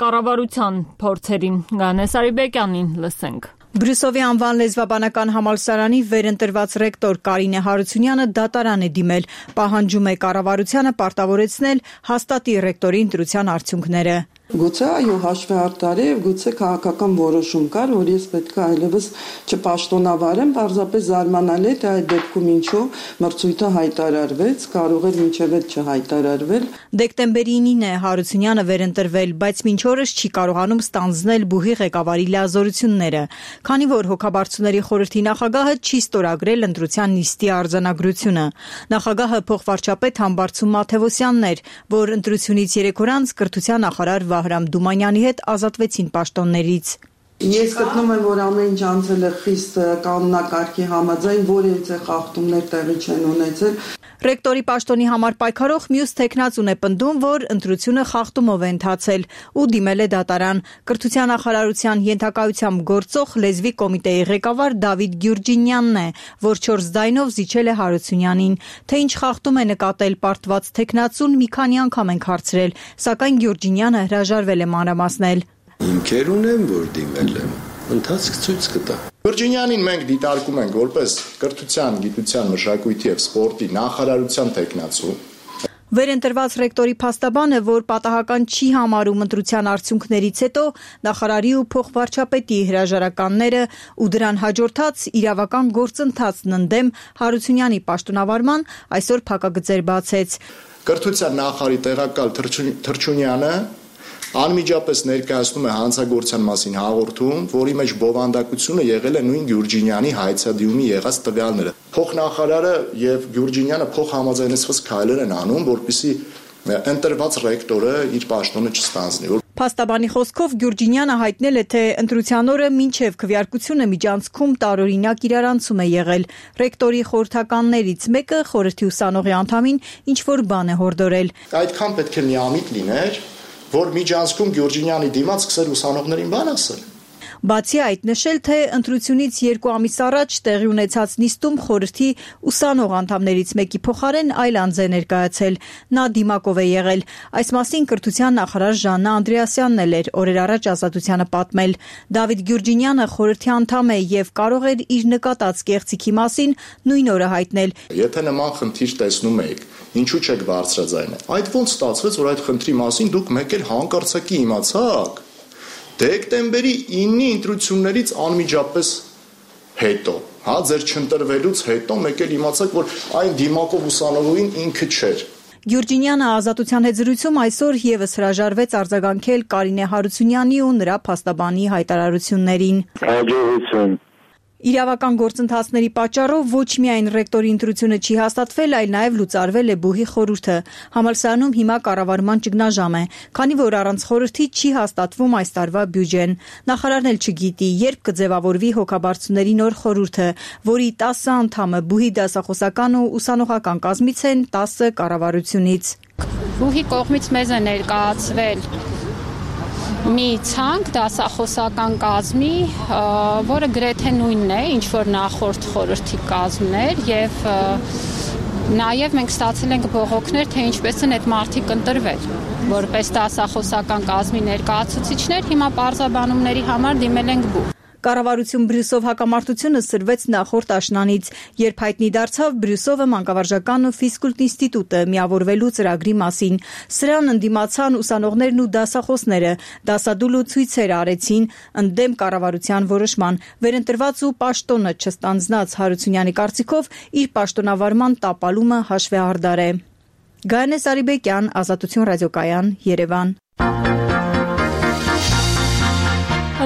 կառավարության փորձերին։ Գանես Արիբեկյանին լսենք։ Բրյուսովի անվան լեզվաբանական համալսարանի վերընտրված ռեկտոր Կարինե Հարությունյանը դատարան է դիմել, պահանջում է կառավարությանը պարտավորեցնել հաստատի ռեկտորի ընտրության արդյունքները։ Գուցե այո հաշվի արտարի եւ գուցե քաղաքական որոշում կար, որ ես պետք է այլևս չպաշտոնավարեմ, պարզապես զարմանալի է, թե այդ դեպքում ինչու մրցույթը հայտարարվեց, կարող էր մինչև այդ չհայտարարվել։ Դեկտեմբերի 9-ին է Հարությունյանը վերընտրվել, բայց մինչ օրս չի կարողանում ստանձնել բուհի ղեկավարի լիազորությունները, քանի որ հոգաբարձուների խորհրդի նախագահը չի ստորագրել ընտրության նիստի արձանագրությունը։ Նախագահը փոխվարչապետ Համբարձում Մաթևոսյանն էր, որ ընտրությունից 3 օր անց կրթության նախարար Վահրամ Դումանյանի հետ ազատվեցին պաշտոններից։ Ես գտնում եմ, որ ամեն ինչ անցել է խիստ կանոնակարգի համաձայն, որևէ խախտումներ տեղի չեն ունեցել։ Ռեկտորի պաշտոնի համար պայքարող մյուս թեկնածուն է պնդում, որ ընտրությունը խախտումով է ընթացել ու դիմել է դատարան։ Կրթության նախարարության ենթակայությամբ գործող լեզվի կոմիտեի ղեկավար Դավիթ Գյուրջինյանն է, որ 4 ձայնով զիջել է Հարությունյանին։ Թե ինչ խախտում է նկատել պարտված թեկնածուն, մի քանի անգամ ենք հարցրել, սակայն Գյուրջինյանը հրաժարվել է մանրամասնել։ Հիմքեր ունեմ, որ դիմել եմ, ընթացք ցույց կտա։ Վիրջինյանին մենք դիտարկում ենք որպես կրթության, գիտության, մշակույթի եւ սպորտի նախարարության թեկնածու։ Վերընտրված ռեկտորի փաստաբանը, որ պատահական չի համարում ընտրության արդյունքներից հետո նախարարի ու փոխվարչապետի հրաժարականները ու դրան հաջորդած իրավական գործընթացն ընդդեմ Հարությունյանի պաշտոնավարման, այսօր փակագծեր բացեց։ Կրթության նախարարի տեղակալ Թրչունյանը անմիջապես ներկայացնում է հանցագործության մասին հաղորդում, որի մեջ բովանդակությունը եղել է նույն Գյուրջինյանի հայցադիմի եղած տվյալները։ Փոխնախարարը եւ Գյուրջինյանը փոխհամաձայնեցված քայլեր են անում, որպեսզի ընտրված ռեկտորը իր պաշտոնը չստանձնի։ Փաստաբանի խոսքով Գյուրջինյանը հայտնել է, թե ընտրության օրը մինչև քվեարկությունը միջանցքում տարօրինակ իրարանցում է եղել։ Ռեկտորի խորհրդականներից մեկը խորհրդի ուսանողի անդամին ինչ-որ բան է հորդորել։ Այդքան պետք է միամիտ լիներ, որ միջանցքում Գյուրջինյանի դիմաց սկսել ուսանողներին բան ասել։ Բացի այդ նշել, թե ընտրությունից 2 ամիս առաջ տեղի ունեցած նիստում խորհրդի ուսանող անդամներից մեկի փոխարեն այլ անձ է ներկայացել։ Նա դիմակով է եղել։ Այս մասին կրթության նախարար Ժաննա Անդրեասյանն էր օրեր առաջ Ազատությանը պատմել։ Դավիթ Գյուրջինյանը խորհրդի անդամ է եւ կարող էր իր նկատած կեղծիքի մասին նույն օրը հայտնել։ Եթե նման խնդիր տեսնում եք, ինչու չեք բարձրաձայնել։ Այդ ոնց ստացվեց, որ այդ խնդրի մասին դուք մեկ էլ հանկարծակի իմացաք։ Դեկտեմբերի 9-ի ընտրություններից անմիջապես հետո, ձեր չընտրվելուց հետո մեկ էլ իմացաք, որ այն դիմակով ուսանողին ինքը չէր։ Գյուրջինյանը Ազատության հետ զրույցում այսօր եւս հրաժարվեց արձագանքել Կարինե Հարությունյանի ու նրա փաստաբանի հայտարարություններին։ Հաջողություն։ Իրավական գործընթացների պատճառով ոչ միայն ռեկտորի ընտրությունը չի հաստատվել, այլ նաև լուծարվել է բուհի խորհուրդը։ Համալսարանում հիմա կառավարման ճգնաժամ է, քանի որ առանց խորհրդի չի հաստատվում այս տարվա բյուջեն։ Նախարարն էլ չգիտի, երբ կձևավորվի հոգաբարձուների նոր խորհուրդը, որի 10 անդամը բուհի դասախոսական ու ուսանողական կազմից են, 10 կառավարությունից։ Բուհի կողմից մեզ է ներկայացվել մի ցանկ դասախոսական կազմի, որը գրեթե նույնն է, ինչ որ նախորդ խորհրդի կազմն էր, եւ նաև մենք ստացել ենք բողոքներ, թե ինչպես են այդ մարդիկ ընտրվել, որպես դասախոսական կազմի ներկայացուցիչներ, հիմա պարզաբանումների համար դիմել ենք բուհ։ Կառավարություն Բրյուսով հակամարտությունը սրվեց նախորդ աշնանից, երբ հայտնի դարձավ Բրյուսովը մանկավարժական ու ֆիզկուլտ ինստիտուտը միավորվելու ծրագրի մասին։ Սրան ընդդիմացան ուսանողներն ու դասախոսները, դասադուլ ու ցույցեր արեցին ընդդեմ կառավարության որոշման։ Վերընտրված ու պաշտոնը չստանձնած Հարությունյանի կարծիքով իր պաշտոնավարման տապալումը հաշվեհարդար է։ Գայանե Սարիբեկյան, Ազատություն ռադիոկայան, Երևան։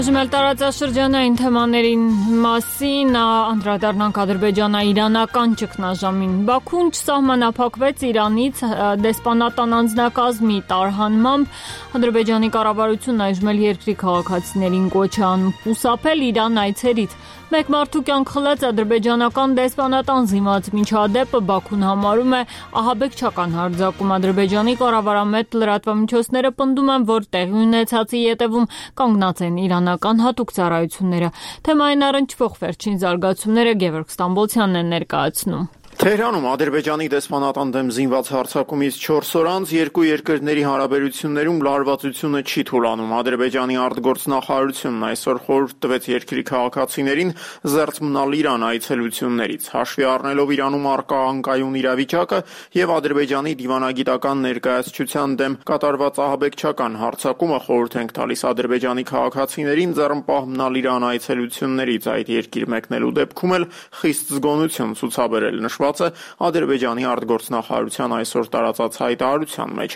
Այժմ տարածաշրջանային թեմաներին մասին անդրադառնանք ադրբեջանա-իրանական ճգնաժամին։ Բաքուն չսահմանափակվեց Իրանից դեսպանատան անձնակազմի տարհանմամբ։ Ադրբեջանի կառավարությունն այժմ էլ երկրի քաղաքացիներին կոչ է անում խուսափել Իրան այցերից։ Մեկ մարդու կյանք խլեց ադրբեջանական դեսպանատան զինված միջադեպը Բաքուն համարում է ահաբեկչական հարձակում։ Ադրբեջանի կառավարամետ լրատվամիջոցները պնդում են, որ տեղի ունեցածի ետևում կանգնած են իրանական հատուկ ծառայությունները։ Թեմային առնչվող վերջին զարգացումները Գևորգ Ստամբոլցյանն է ներկայացնում։ Թեհրանում Ադրբեջանի դեսպանատան դեմ զինված հարձակումից 4 օր անց երկու երկրների հարաբերություններում լարվածությունը չի թուլանում։ Ադրբեջանի արտգործնախարարությունն այսօր խորհուրդ տվեց երկրի քաղաքացիներին զերծ մնալ Իրան այցելություններից, հաշվի առնելով Իրանում առկա անկայուն իրավիճակը եւ Ադրբեջանի դիվանագիտական ներկայացչության դեմ կատարված ահաբեկչական հարձակումը խորհուրդ ենք տալիս Ադրբեջանի քաղաքացիներին ձեռնպահ մնալ Իրան այցելություններից, այդ երկիր մեկնելու դեպքում էլ խիստ զգոնություն ցուցաբերել Ադրբեջանի արտգործնախարարության այսօր տարածած հայտարարության մեջ։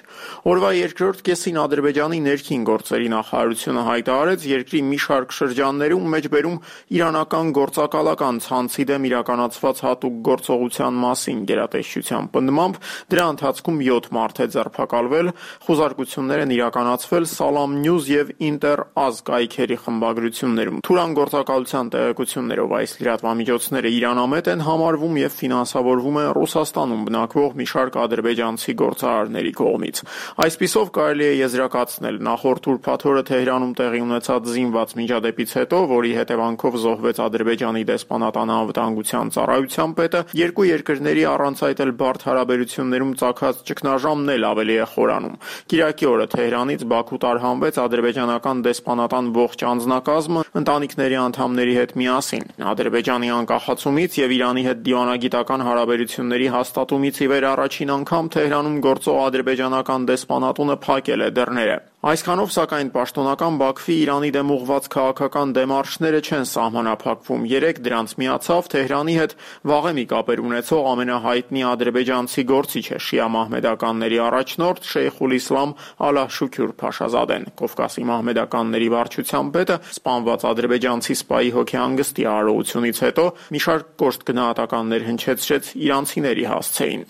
Օրվա երկրորդ կեսին Ադրբեջանի ներքին գործերի նախարարությունը հայտարարեց երկրի մի շարք շրջաններում մեջբերում իրանական գործակալական ցանցի դեմ իրականացված հատուկ գործողության մասին գերատեսչության պնդմամբ դրա ընթացքում 7 մարդ է ձերբակալվել, խուզարկություններ են իրականացվել Salam News եւ Inter-Az կայքերի խմբագրություններում։ Թուրան գործակալության տեղեկություններով այս լրատվամիջոցները իրանամետ են համարվում եւ ֆինանսավորվում է Ռուսաստանում բնակվող մի շարք ադրբեջանցի գործարարների կողմից։ Այսպիսով կարելի է եզրակացնել նախորդ ուրբաթ օրը Թեհրանում տեղի ունեցած զինված միջադեպից հետո, որի հետևանքով զոհվեց Ադրբեջանի դեսպանատան անվտանգության ծառայության պետը, երկու երկրների առանց այդ էլ բարդ հարաբերություններում ծագած ճգնաժամն էլ ավելի է խորանում։ Կիրակի օրը Թեհրանից Բաքու տարհանվեց ադրբեջանական դեսպանատան ողջ անձնակազմը ընտանիքների անդամների հետ միասին։ Ադրբեջանի անկախացումից եւ Իրանի հետ դիվանագիտական հարաբերությունների հաստատումից ի վեր առաջին անգամ Թեհրանում գործող ադրբեջանական դեսպանատունը փակել է դռները։ Այսքանով, սակայն, պաշտոնական Բաքվի Իրանի դեմ ուղղված քաղաքական դեմարշները չեն սահմանափակվում։ Երեկ դրանց միացավ Թեհրանի հետ վաղեմի կապեր ունեցող ամենահայտնի ադրբեջանցի գործիչը շիա մահմեդականների առաջնորդ Շեյխուլ Իսլամ Ալահ-Շուքյուր Փաշազադեն։ Կովկասի մահմեդականների վարչության պետը սպանված ադրբեջանցի սպայի հոգեհանգստի արարողությունից հետո մի շարք կոշտ գնահատականներ հնչեցրեց իրանցիների հասցեին։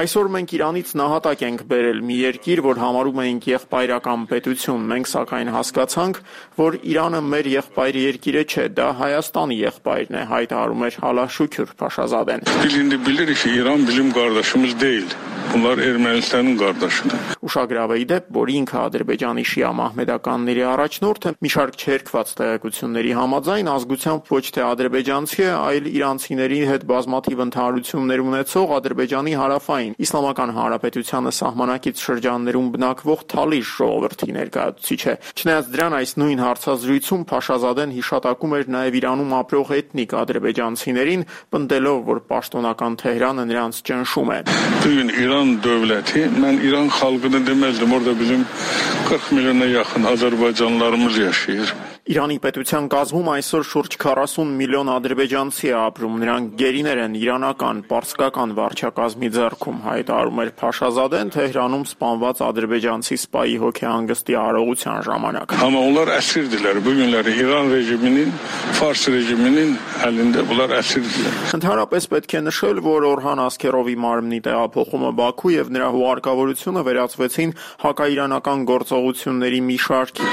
Այսօր մենք Իրանից նահատակ ենք բերել մի երկիր, որ համարում էինք եղբայրական պետություն, մենք սակայն հասկացանք, որ Իրանը մեր եղբայր երկիրը չէ, դա Հայաստանի եղբայրն է, հայտարարում էր Ալահ-Շուքյուր Փաշազադեն։ Bunlar Ermənistanın qardaşıdır։ Ուշագրավ է իդեպ, որ ինքը Ադրբեջանի շիա մահմեդականների առաջնորդը մի շարք չերկված տեղեկությունների համաձայն ազգությամբ ոչ թե ադրբեջանցի է, այլ իրանցիների հետ բազմաթիվ ընդհանրություններ ունեցող Ադրբեջանի հարավային Իսլամական Հանրապետությանը սահմանակից շրջաններում բնակվող Թալիշ ժողովրդի ներկայացուցիչ է։ Չնայած դրան, այս նույն հարցազրույցում Փաշազադեն հիշատակում էր նաև Իրանում ապրող էթնիկ ադրբեջանցիներին, պնդելով, որ պաշտոնական Թեհրանը նրանց ճնշում է։ İran dövləti, mən İran xalqını deməzdim, orada bizim 40 milyona yaxın Azərbaycanlılarımız yaşayır. Իրանի պետության կազմում այսօր շուրջ 40 միլիոն ադրբեջանցի է ապրում, նրանք գերիներ են իրանական, պարսկական վարչակազմի ձեռքում, հայտարարում էր Փաշազադեն Թեհրանում սպանված ադրբեջանցի սպայի հոգեհանգստի արարողության ժամանակ։ Onlar əsirdirlər. Bu günləri İran rejiminin, Fars rejiminin əlində bunlar əsirdirlər։ Ընդհանրապես պետք է նշել, որ Օրհան Ասքերովի մարմնի տեղափոխումը Բաքու եւ նրա հուղարկավորությունը վերածվեցին հակաիրանական գործողությունների մի շարքի։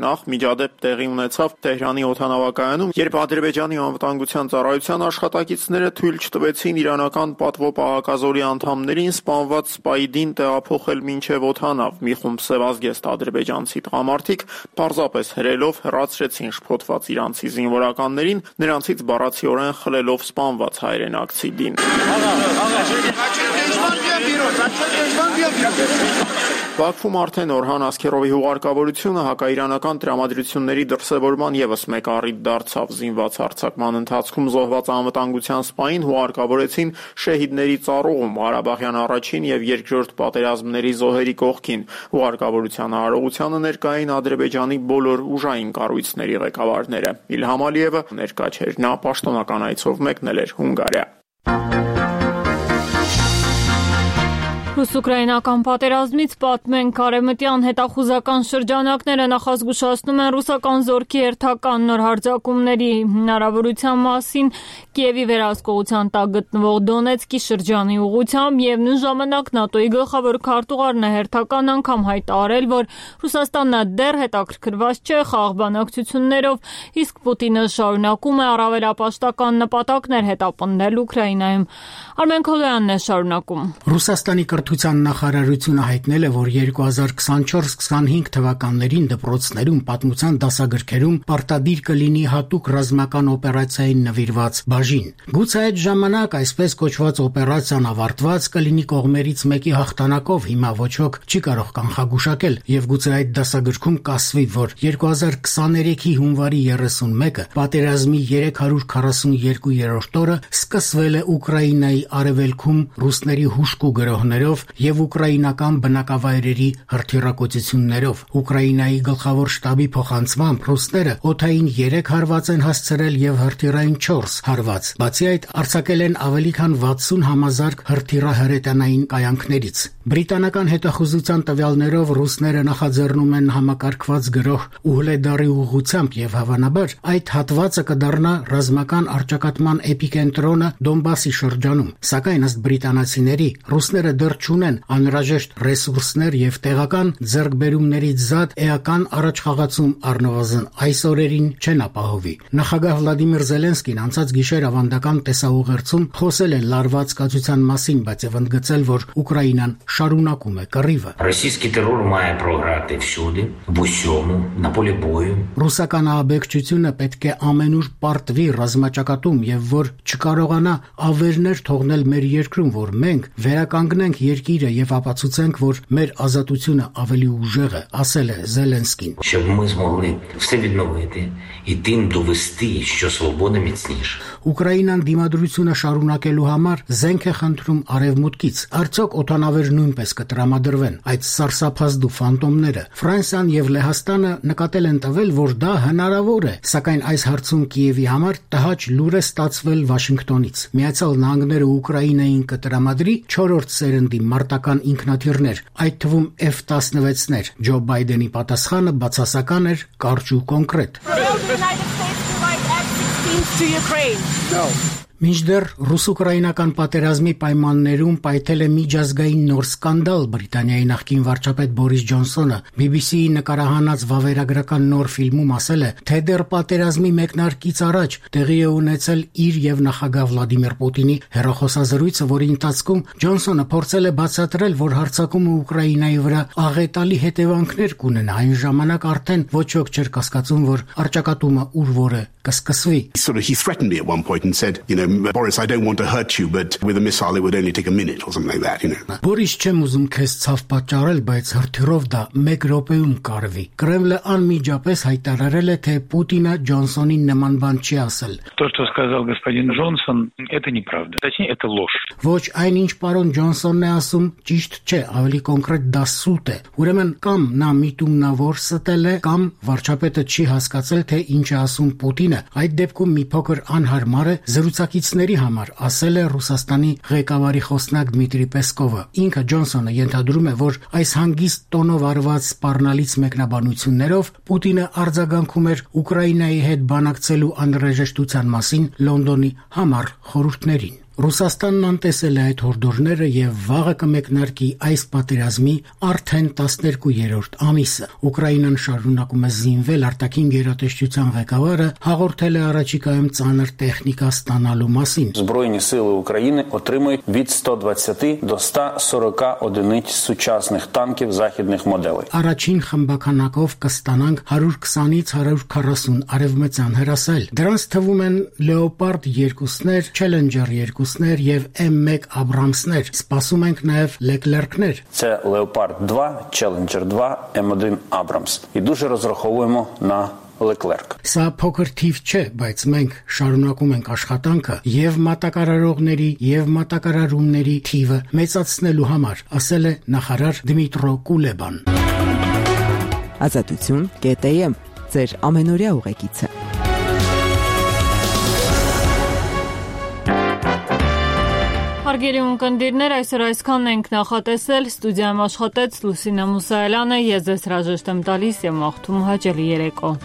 Նախ միջադեպ տեղի ունեցավ Թեհրանի օդանավակայանում, երբ Ադրբեջանի անվտանգության ծառայության աշխատակիցները թույլ չտվեցին իրանական պատվո-պահակազորի անդամներին սպանված սպայդին տեղափոխել մինչև օդանավ։ Մի խումբ սևազգեստ ադրբեջանցի տղամարդիկ պարզապես հրելով հեռացրեցին շփոթված իրանցի զինվորականներին, նրանցից բառացիորեն խլելով սպանված հայրենակցի դին։ Բաքվում արդեն Օրհան Ասքերովի հուղարկավորությունը հակաիրանական տրամադրությունների դրսևորման ևս մեկ առիթ դարձավ։ Զինված հարձակման ընթացքում զոհված անվտանգության սպային հուղարկավորեցին շեհիդների ծառուղում Ղարաբաղյան առաջին եւ երկրորդ պատերազմների զոհերի կողքին։ Հուղարկավորության արարողությանը ներկային Ադրբեջանի բոլոր ուժային կառույցների ղեկավարները։ Իլհամ Ալիևը ներկա չէր, նա պաշտոնական այցով մեկնել էր Հունգարիա։ Ռուս-ուկրաինական պատերազմից պատմենք արևմտյան հետախուզական շրջանակները նախազգուշացնում են ռուսական զորքի հերթական նոր հարձակումների հնարավորության մասին Կիևի վերահսկողության տակ գտնվող Դոնեցկի շրջանի ուղղությամբ եւ նույն ժամանակ ՆԱՏՕ-ի գլխավոր քարտուղարն է հերթական անգամ հայտարարել, որ Ռուսաստանը դեռ հետաքրքրված չէ խաղաղ բանակցություններով, իսկ Պուտինը շարունակում է առավելապաշտական նպատակներ հետապնդել Ուկրաինայում։ Արմեն Քոլոյանն է շարունակում։ Ռուսաստանի կրթության նախարարությունը հայտնել է, որ 2024-25 թվականներին դպրոցներում պատմության դասագրքերում պարտադիր կլինի հատուկ ռազմական օպերացիային նվիրված բաժին։ Գուցե այդ ժամանակ այսպես կոչված օպերացիան ավարտված կլինի կողմերից մեկի հաղթանակով, հիմա ոչ ոք չի կարող կանխագուշակել, եւ գուցե այդ դասագրքում կասվի, որ 2023-ի հունվարի 31-ը պատերազմի 342-րդ օրը սկսվել է Ուկրաինայի արևելքում ռուսների հուշկու գրոհներով եւ ուկրաինական բնակավայրերի հրթիռակոծություններով։ Ուկրաինայի գլխավոր շտաբի փոխանցմամբ ռուսները օդային 3 հարված են հասցրել եւ հրթիռային 4 հարված։ Բացի այդ, արձակել են ավելի քան 60 համազարգ հրթիռահրետանային կայանքներից։ Բրիտանական հետախուզության տվյալներով ռուսները նախաձեռնում են համակարգված գրոհ Ուհլեդարի ուղղությամբ եւ հավանաբար այդ հատվածը կդառնա ռազմական առճակատման էպիկենտրոնը Դոնբասի շրջանում։ Սակայն ըստ բրիտանացիների ռուսները դեռ չունեն անհրաժեշտ ռեսուրսներ եւ տեղական ձեռքբերումներից զատ էական առաջխաղացում առնվազն այս օրերին չեն ապահովի։ Նախագահ Վլադիմիր Զելենսկին անցած գիշեր ավանդական տեսաուղերձում խոսել է լարված կացության մասին, բայց եւ ընդգծել, որ Ուկրաինան շարունակում է կռիվը։ Ռոսійський терор має програти всюди, в усьому, на полі бою։ Ռուսական ահաբեկչությունը պետք է ամենուր պարտվի ռազմաճակատում եւ որ չկարողանա ավերներ թողնել մեր երկրում, որ մենք վերականգնենք երկիրը եւ ապացուցենք, որ մեր ազատությունը ավելի ուժեղ է, ասել է Զելենսկին։ Щоб ми змогли все відновити і тим довести, що свобода міцніша։ Ուկրաինան դիմադրությունը շարունակելու համար զենք է խնդրում արևմուտքից։ Արդյոք օդանավեր նույնպես կտրամադրվեն այդ սարսափազդու ֆանտոմները։ Ֆրանսիան եւ Լեհաստանը նկատել են տվել, որ դա հնարավոր է, սակայն այս հարցում Կիևի համար տհաճ լուր է ստացվել Վաշինգտոնից։ Միացյալ Նահանգները Ուկրաինային կտրամադրի 4-րդ սերնդի մարտական ինքնաթիռներ, այդ թվում F-16-ներ։ Ջո Բայդենի պատասխանը բացասական էր, կարճ ու կոնկրետ։ Մինչդեռ ռուս-ուկրաինական պատերազմի պայմաններում պայթել է միջազգային նոր սկանդալ։ Բրիտանիայի նախկին վարչապետ Բորիս Ջոնսոնը BBC-ի նկարահանած վավերագրական նոր ֆիլմում ասել է, թե դեռ պատերազմի մեկնարկից առաջ տեղի է ունեցել իր եւ նախագահ Վլադիմիր Պուտինի հեռախոսազրույցը, որի ընթացքում Ջոնսոնը փորձել է բացատրել, որ հարձակումը Ուկրաինայի վրա աղետալի հետևանքներ կունենա։ Այն ժամանակ արդեն ոչ ոք չէր կասկածում, որ առճակատումը ուր որ է կսկսվի։ He threatened me at one point and said, Boris, I don't want to hurt you, but with a missile it would only take a minute or something like that, you know. Boris չեմ ուզում քեզ ցավ պատճառել, բայց հրթիռով դա 1 րոպեում կարվի։ Կրեմլը անմիջապես հայտարարել է, թե Պուտինը Ջոնսոնին նման բան չի ասել։ То, что сказал господин Джонсон, это неправда. Точнее, это ложь. Ոչ այն ինչ պարոն Ջոնսոնն է ասում, ճիշտ չէ, ավելի կոնկրետ դա սուտ է։ Ուրեմն կամ նա միտումնավոր ստել է, կամ վարչապետը չի հասկացել, թե ինչ է ասում Պուտինը։ Այդ դեպքում մի փոքր անհարմար է զրուցակիցների համար, ասել է Ռուսաստանի ղեկավարի խոսնակ Դմիտրի Պեսկովը։ Ինքը Ջոնսոնը ենթադրում է, որ այս հանգիստ տոնով արված սպառնալից մեկնաբանություններով Պուտինը արձագանքում էր Ուկրաինայի հետ բանակցելու անհրաժեշտության մասին Լոնդոնի համառ խորհուրդներին։ Ռուսաստանն անտեսել է այդ հորդորները եւ վաղը կմեկնարկի այս պատերազմի արդեն 12-րդ ամիսը։ Ուկրաինան շարունակում է զինվել, արտաքին գերատեսչության ղեկավարը հաղորդել է առաջիկայում ծանր տեխնիկա ստանալու մասին։ Збройні сили України отримують від 120 до 140 одиниць сучасних танків західних моделей. Առաջին խմբականակով կստանանք 120-ից 140 արևմտյան հրասել։ Դրանց թվում են Leopard 2-ներ, Challenger 2 եւ M1 Abrams-ներ, սպասում ենք նաեւ Leclerc-ներ։ Це Leopard 2, Challenger 2, M1 Abrams. І дуже розраховуємо на Leclerc. Սա փոքր թիվ չէ, բայց մենք շարունակում ենք աշխատանքը եւ մատակարարողների եւ մատակարարումների թիվը մեծացնելու համար, ասել է նախարար Դմիտրո Կուլեբան։ Ազատություն.am ձեր ամենօրյա ուղեկիցը։ Հարգելի ունկնդիրներ, այսօր այսքանն ենք նախատեսել, ստուդիայում աշխատեց Լուսինե Մուսայելյանը, ես ձեզ հրաժեշտ եմ տալիս եւ մաղթում հաճելի երեկո։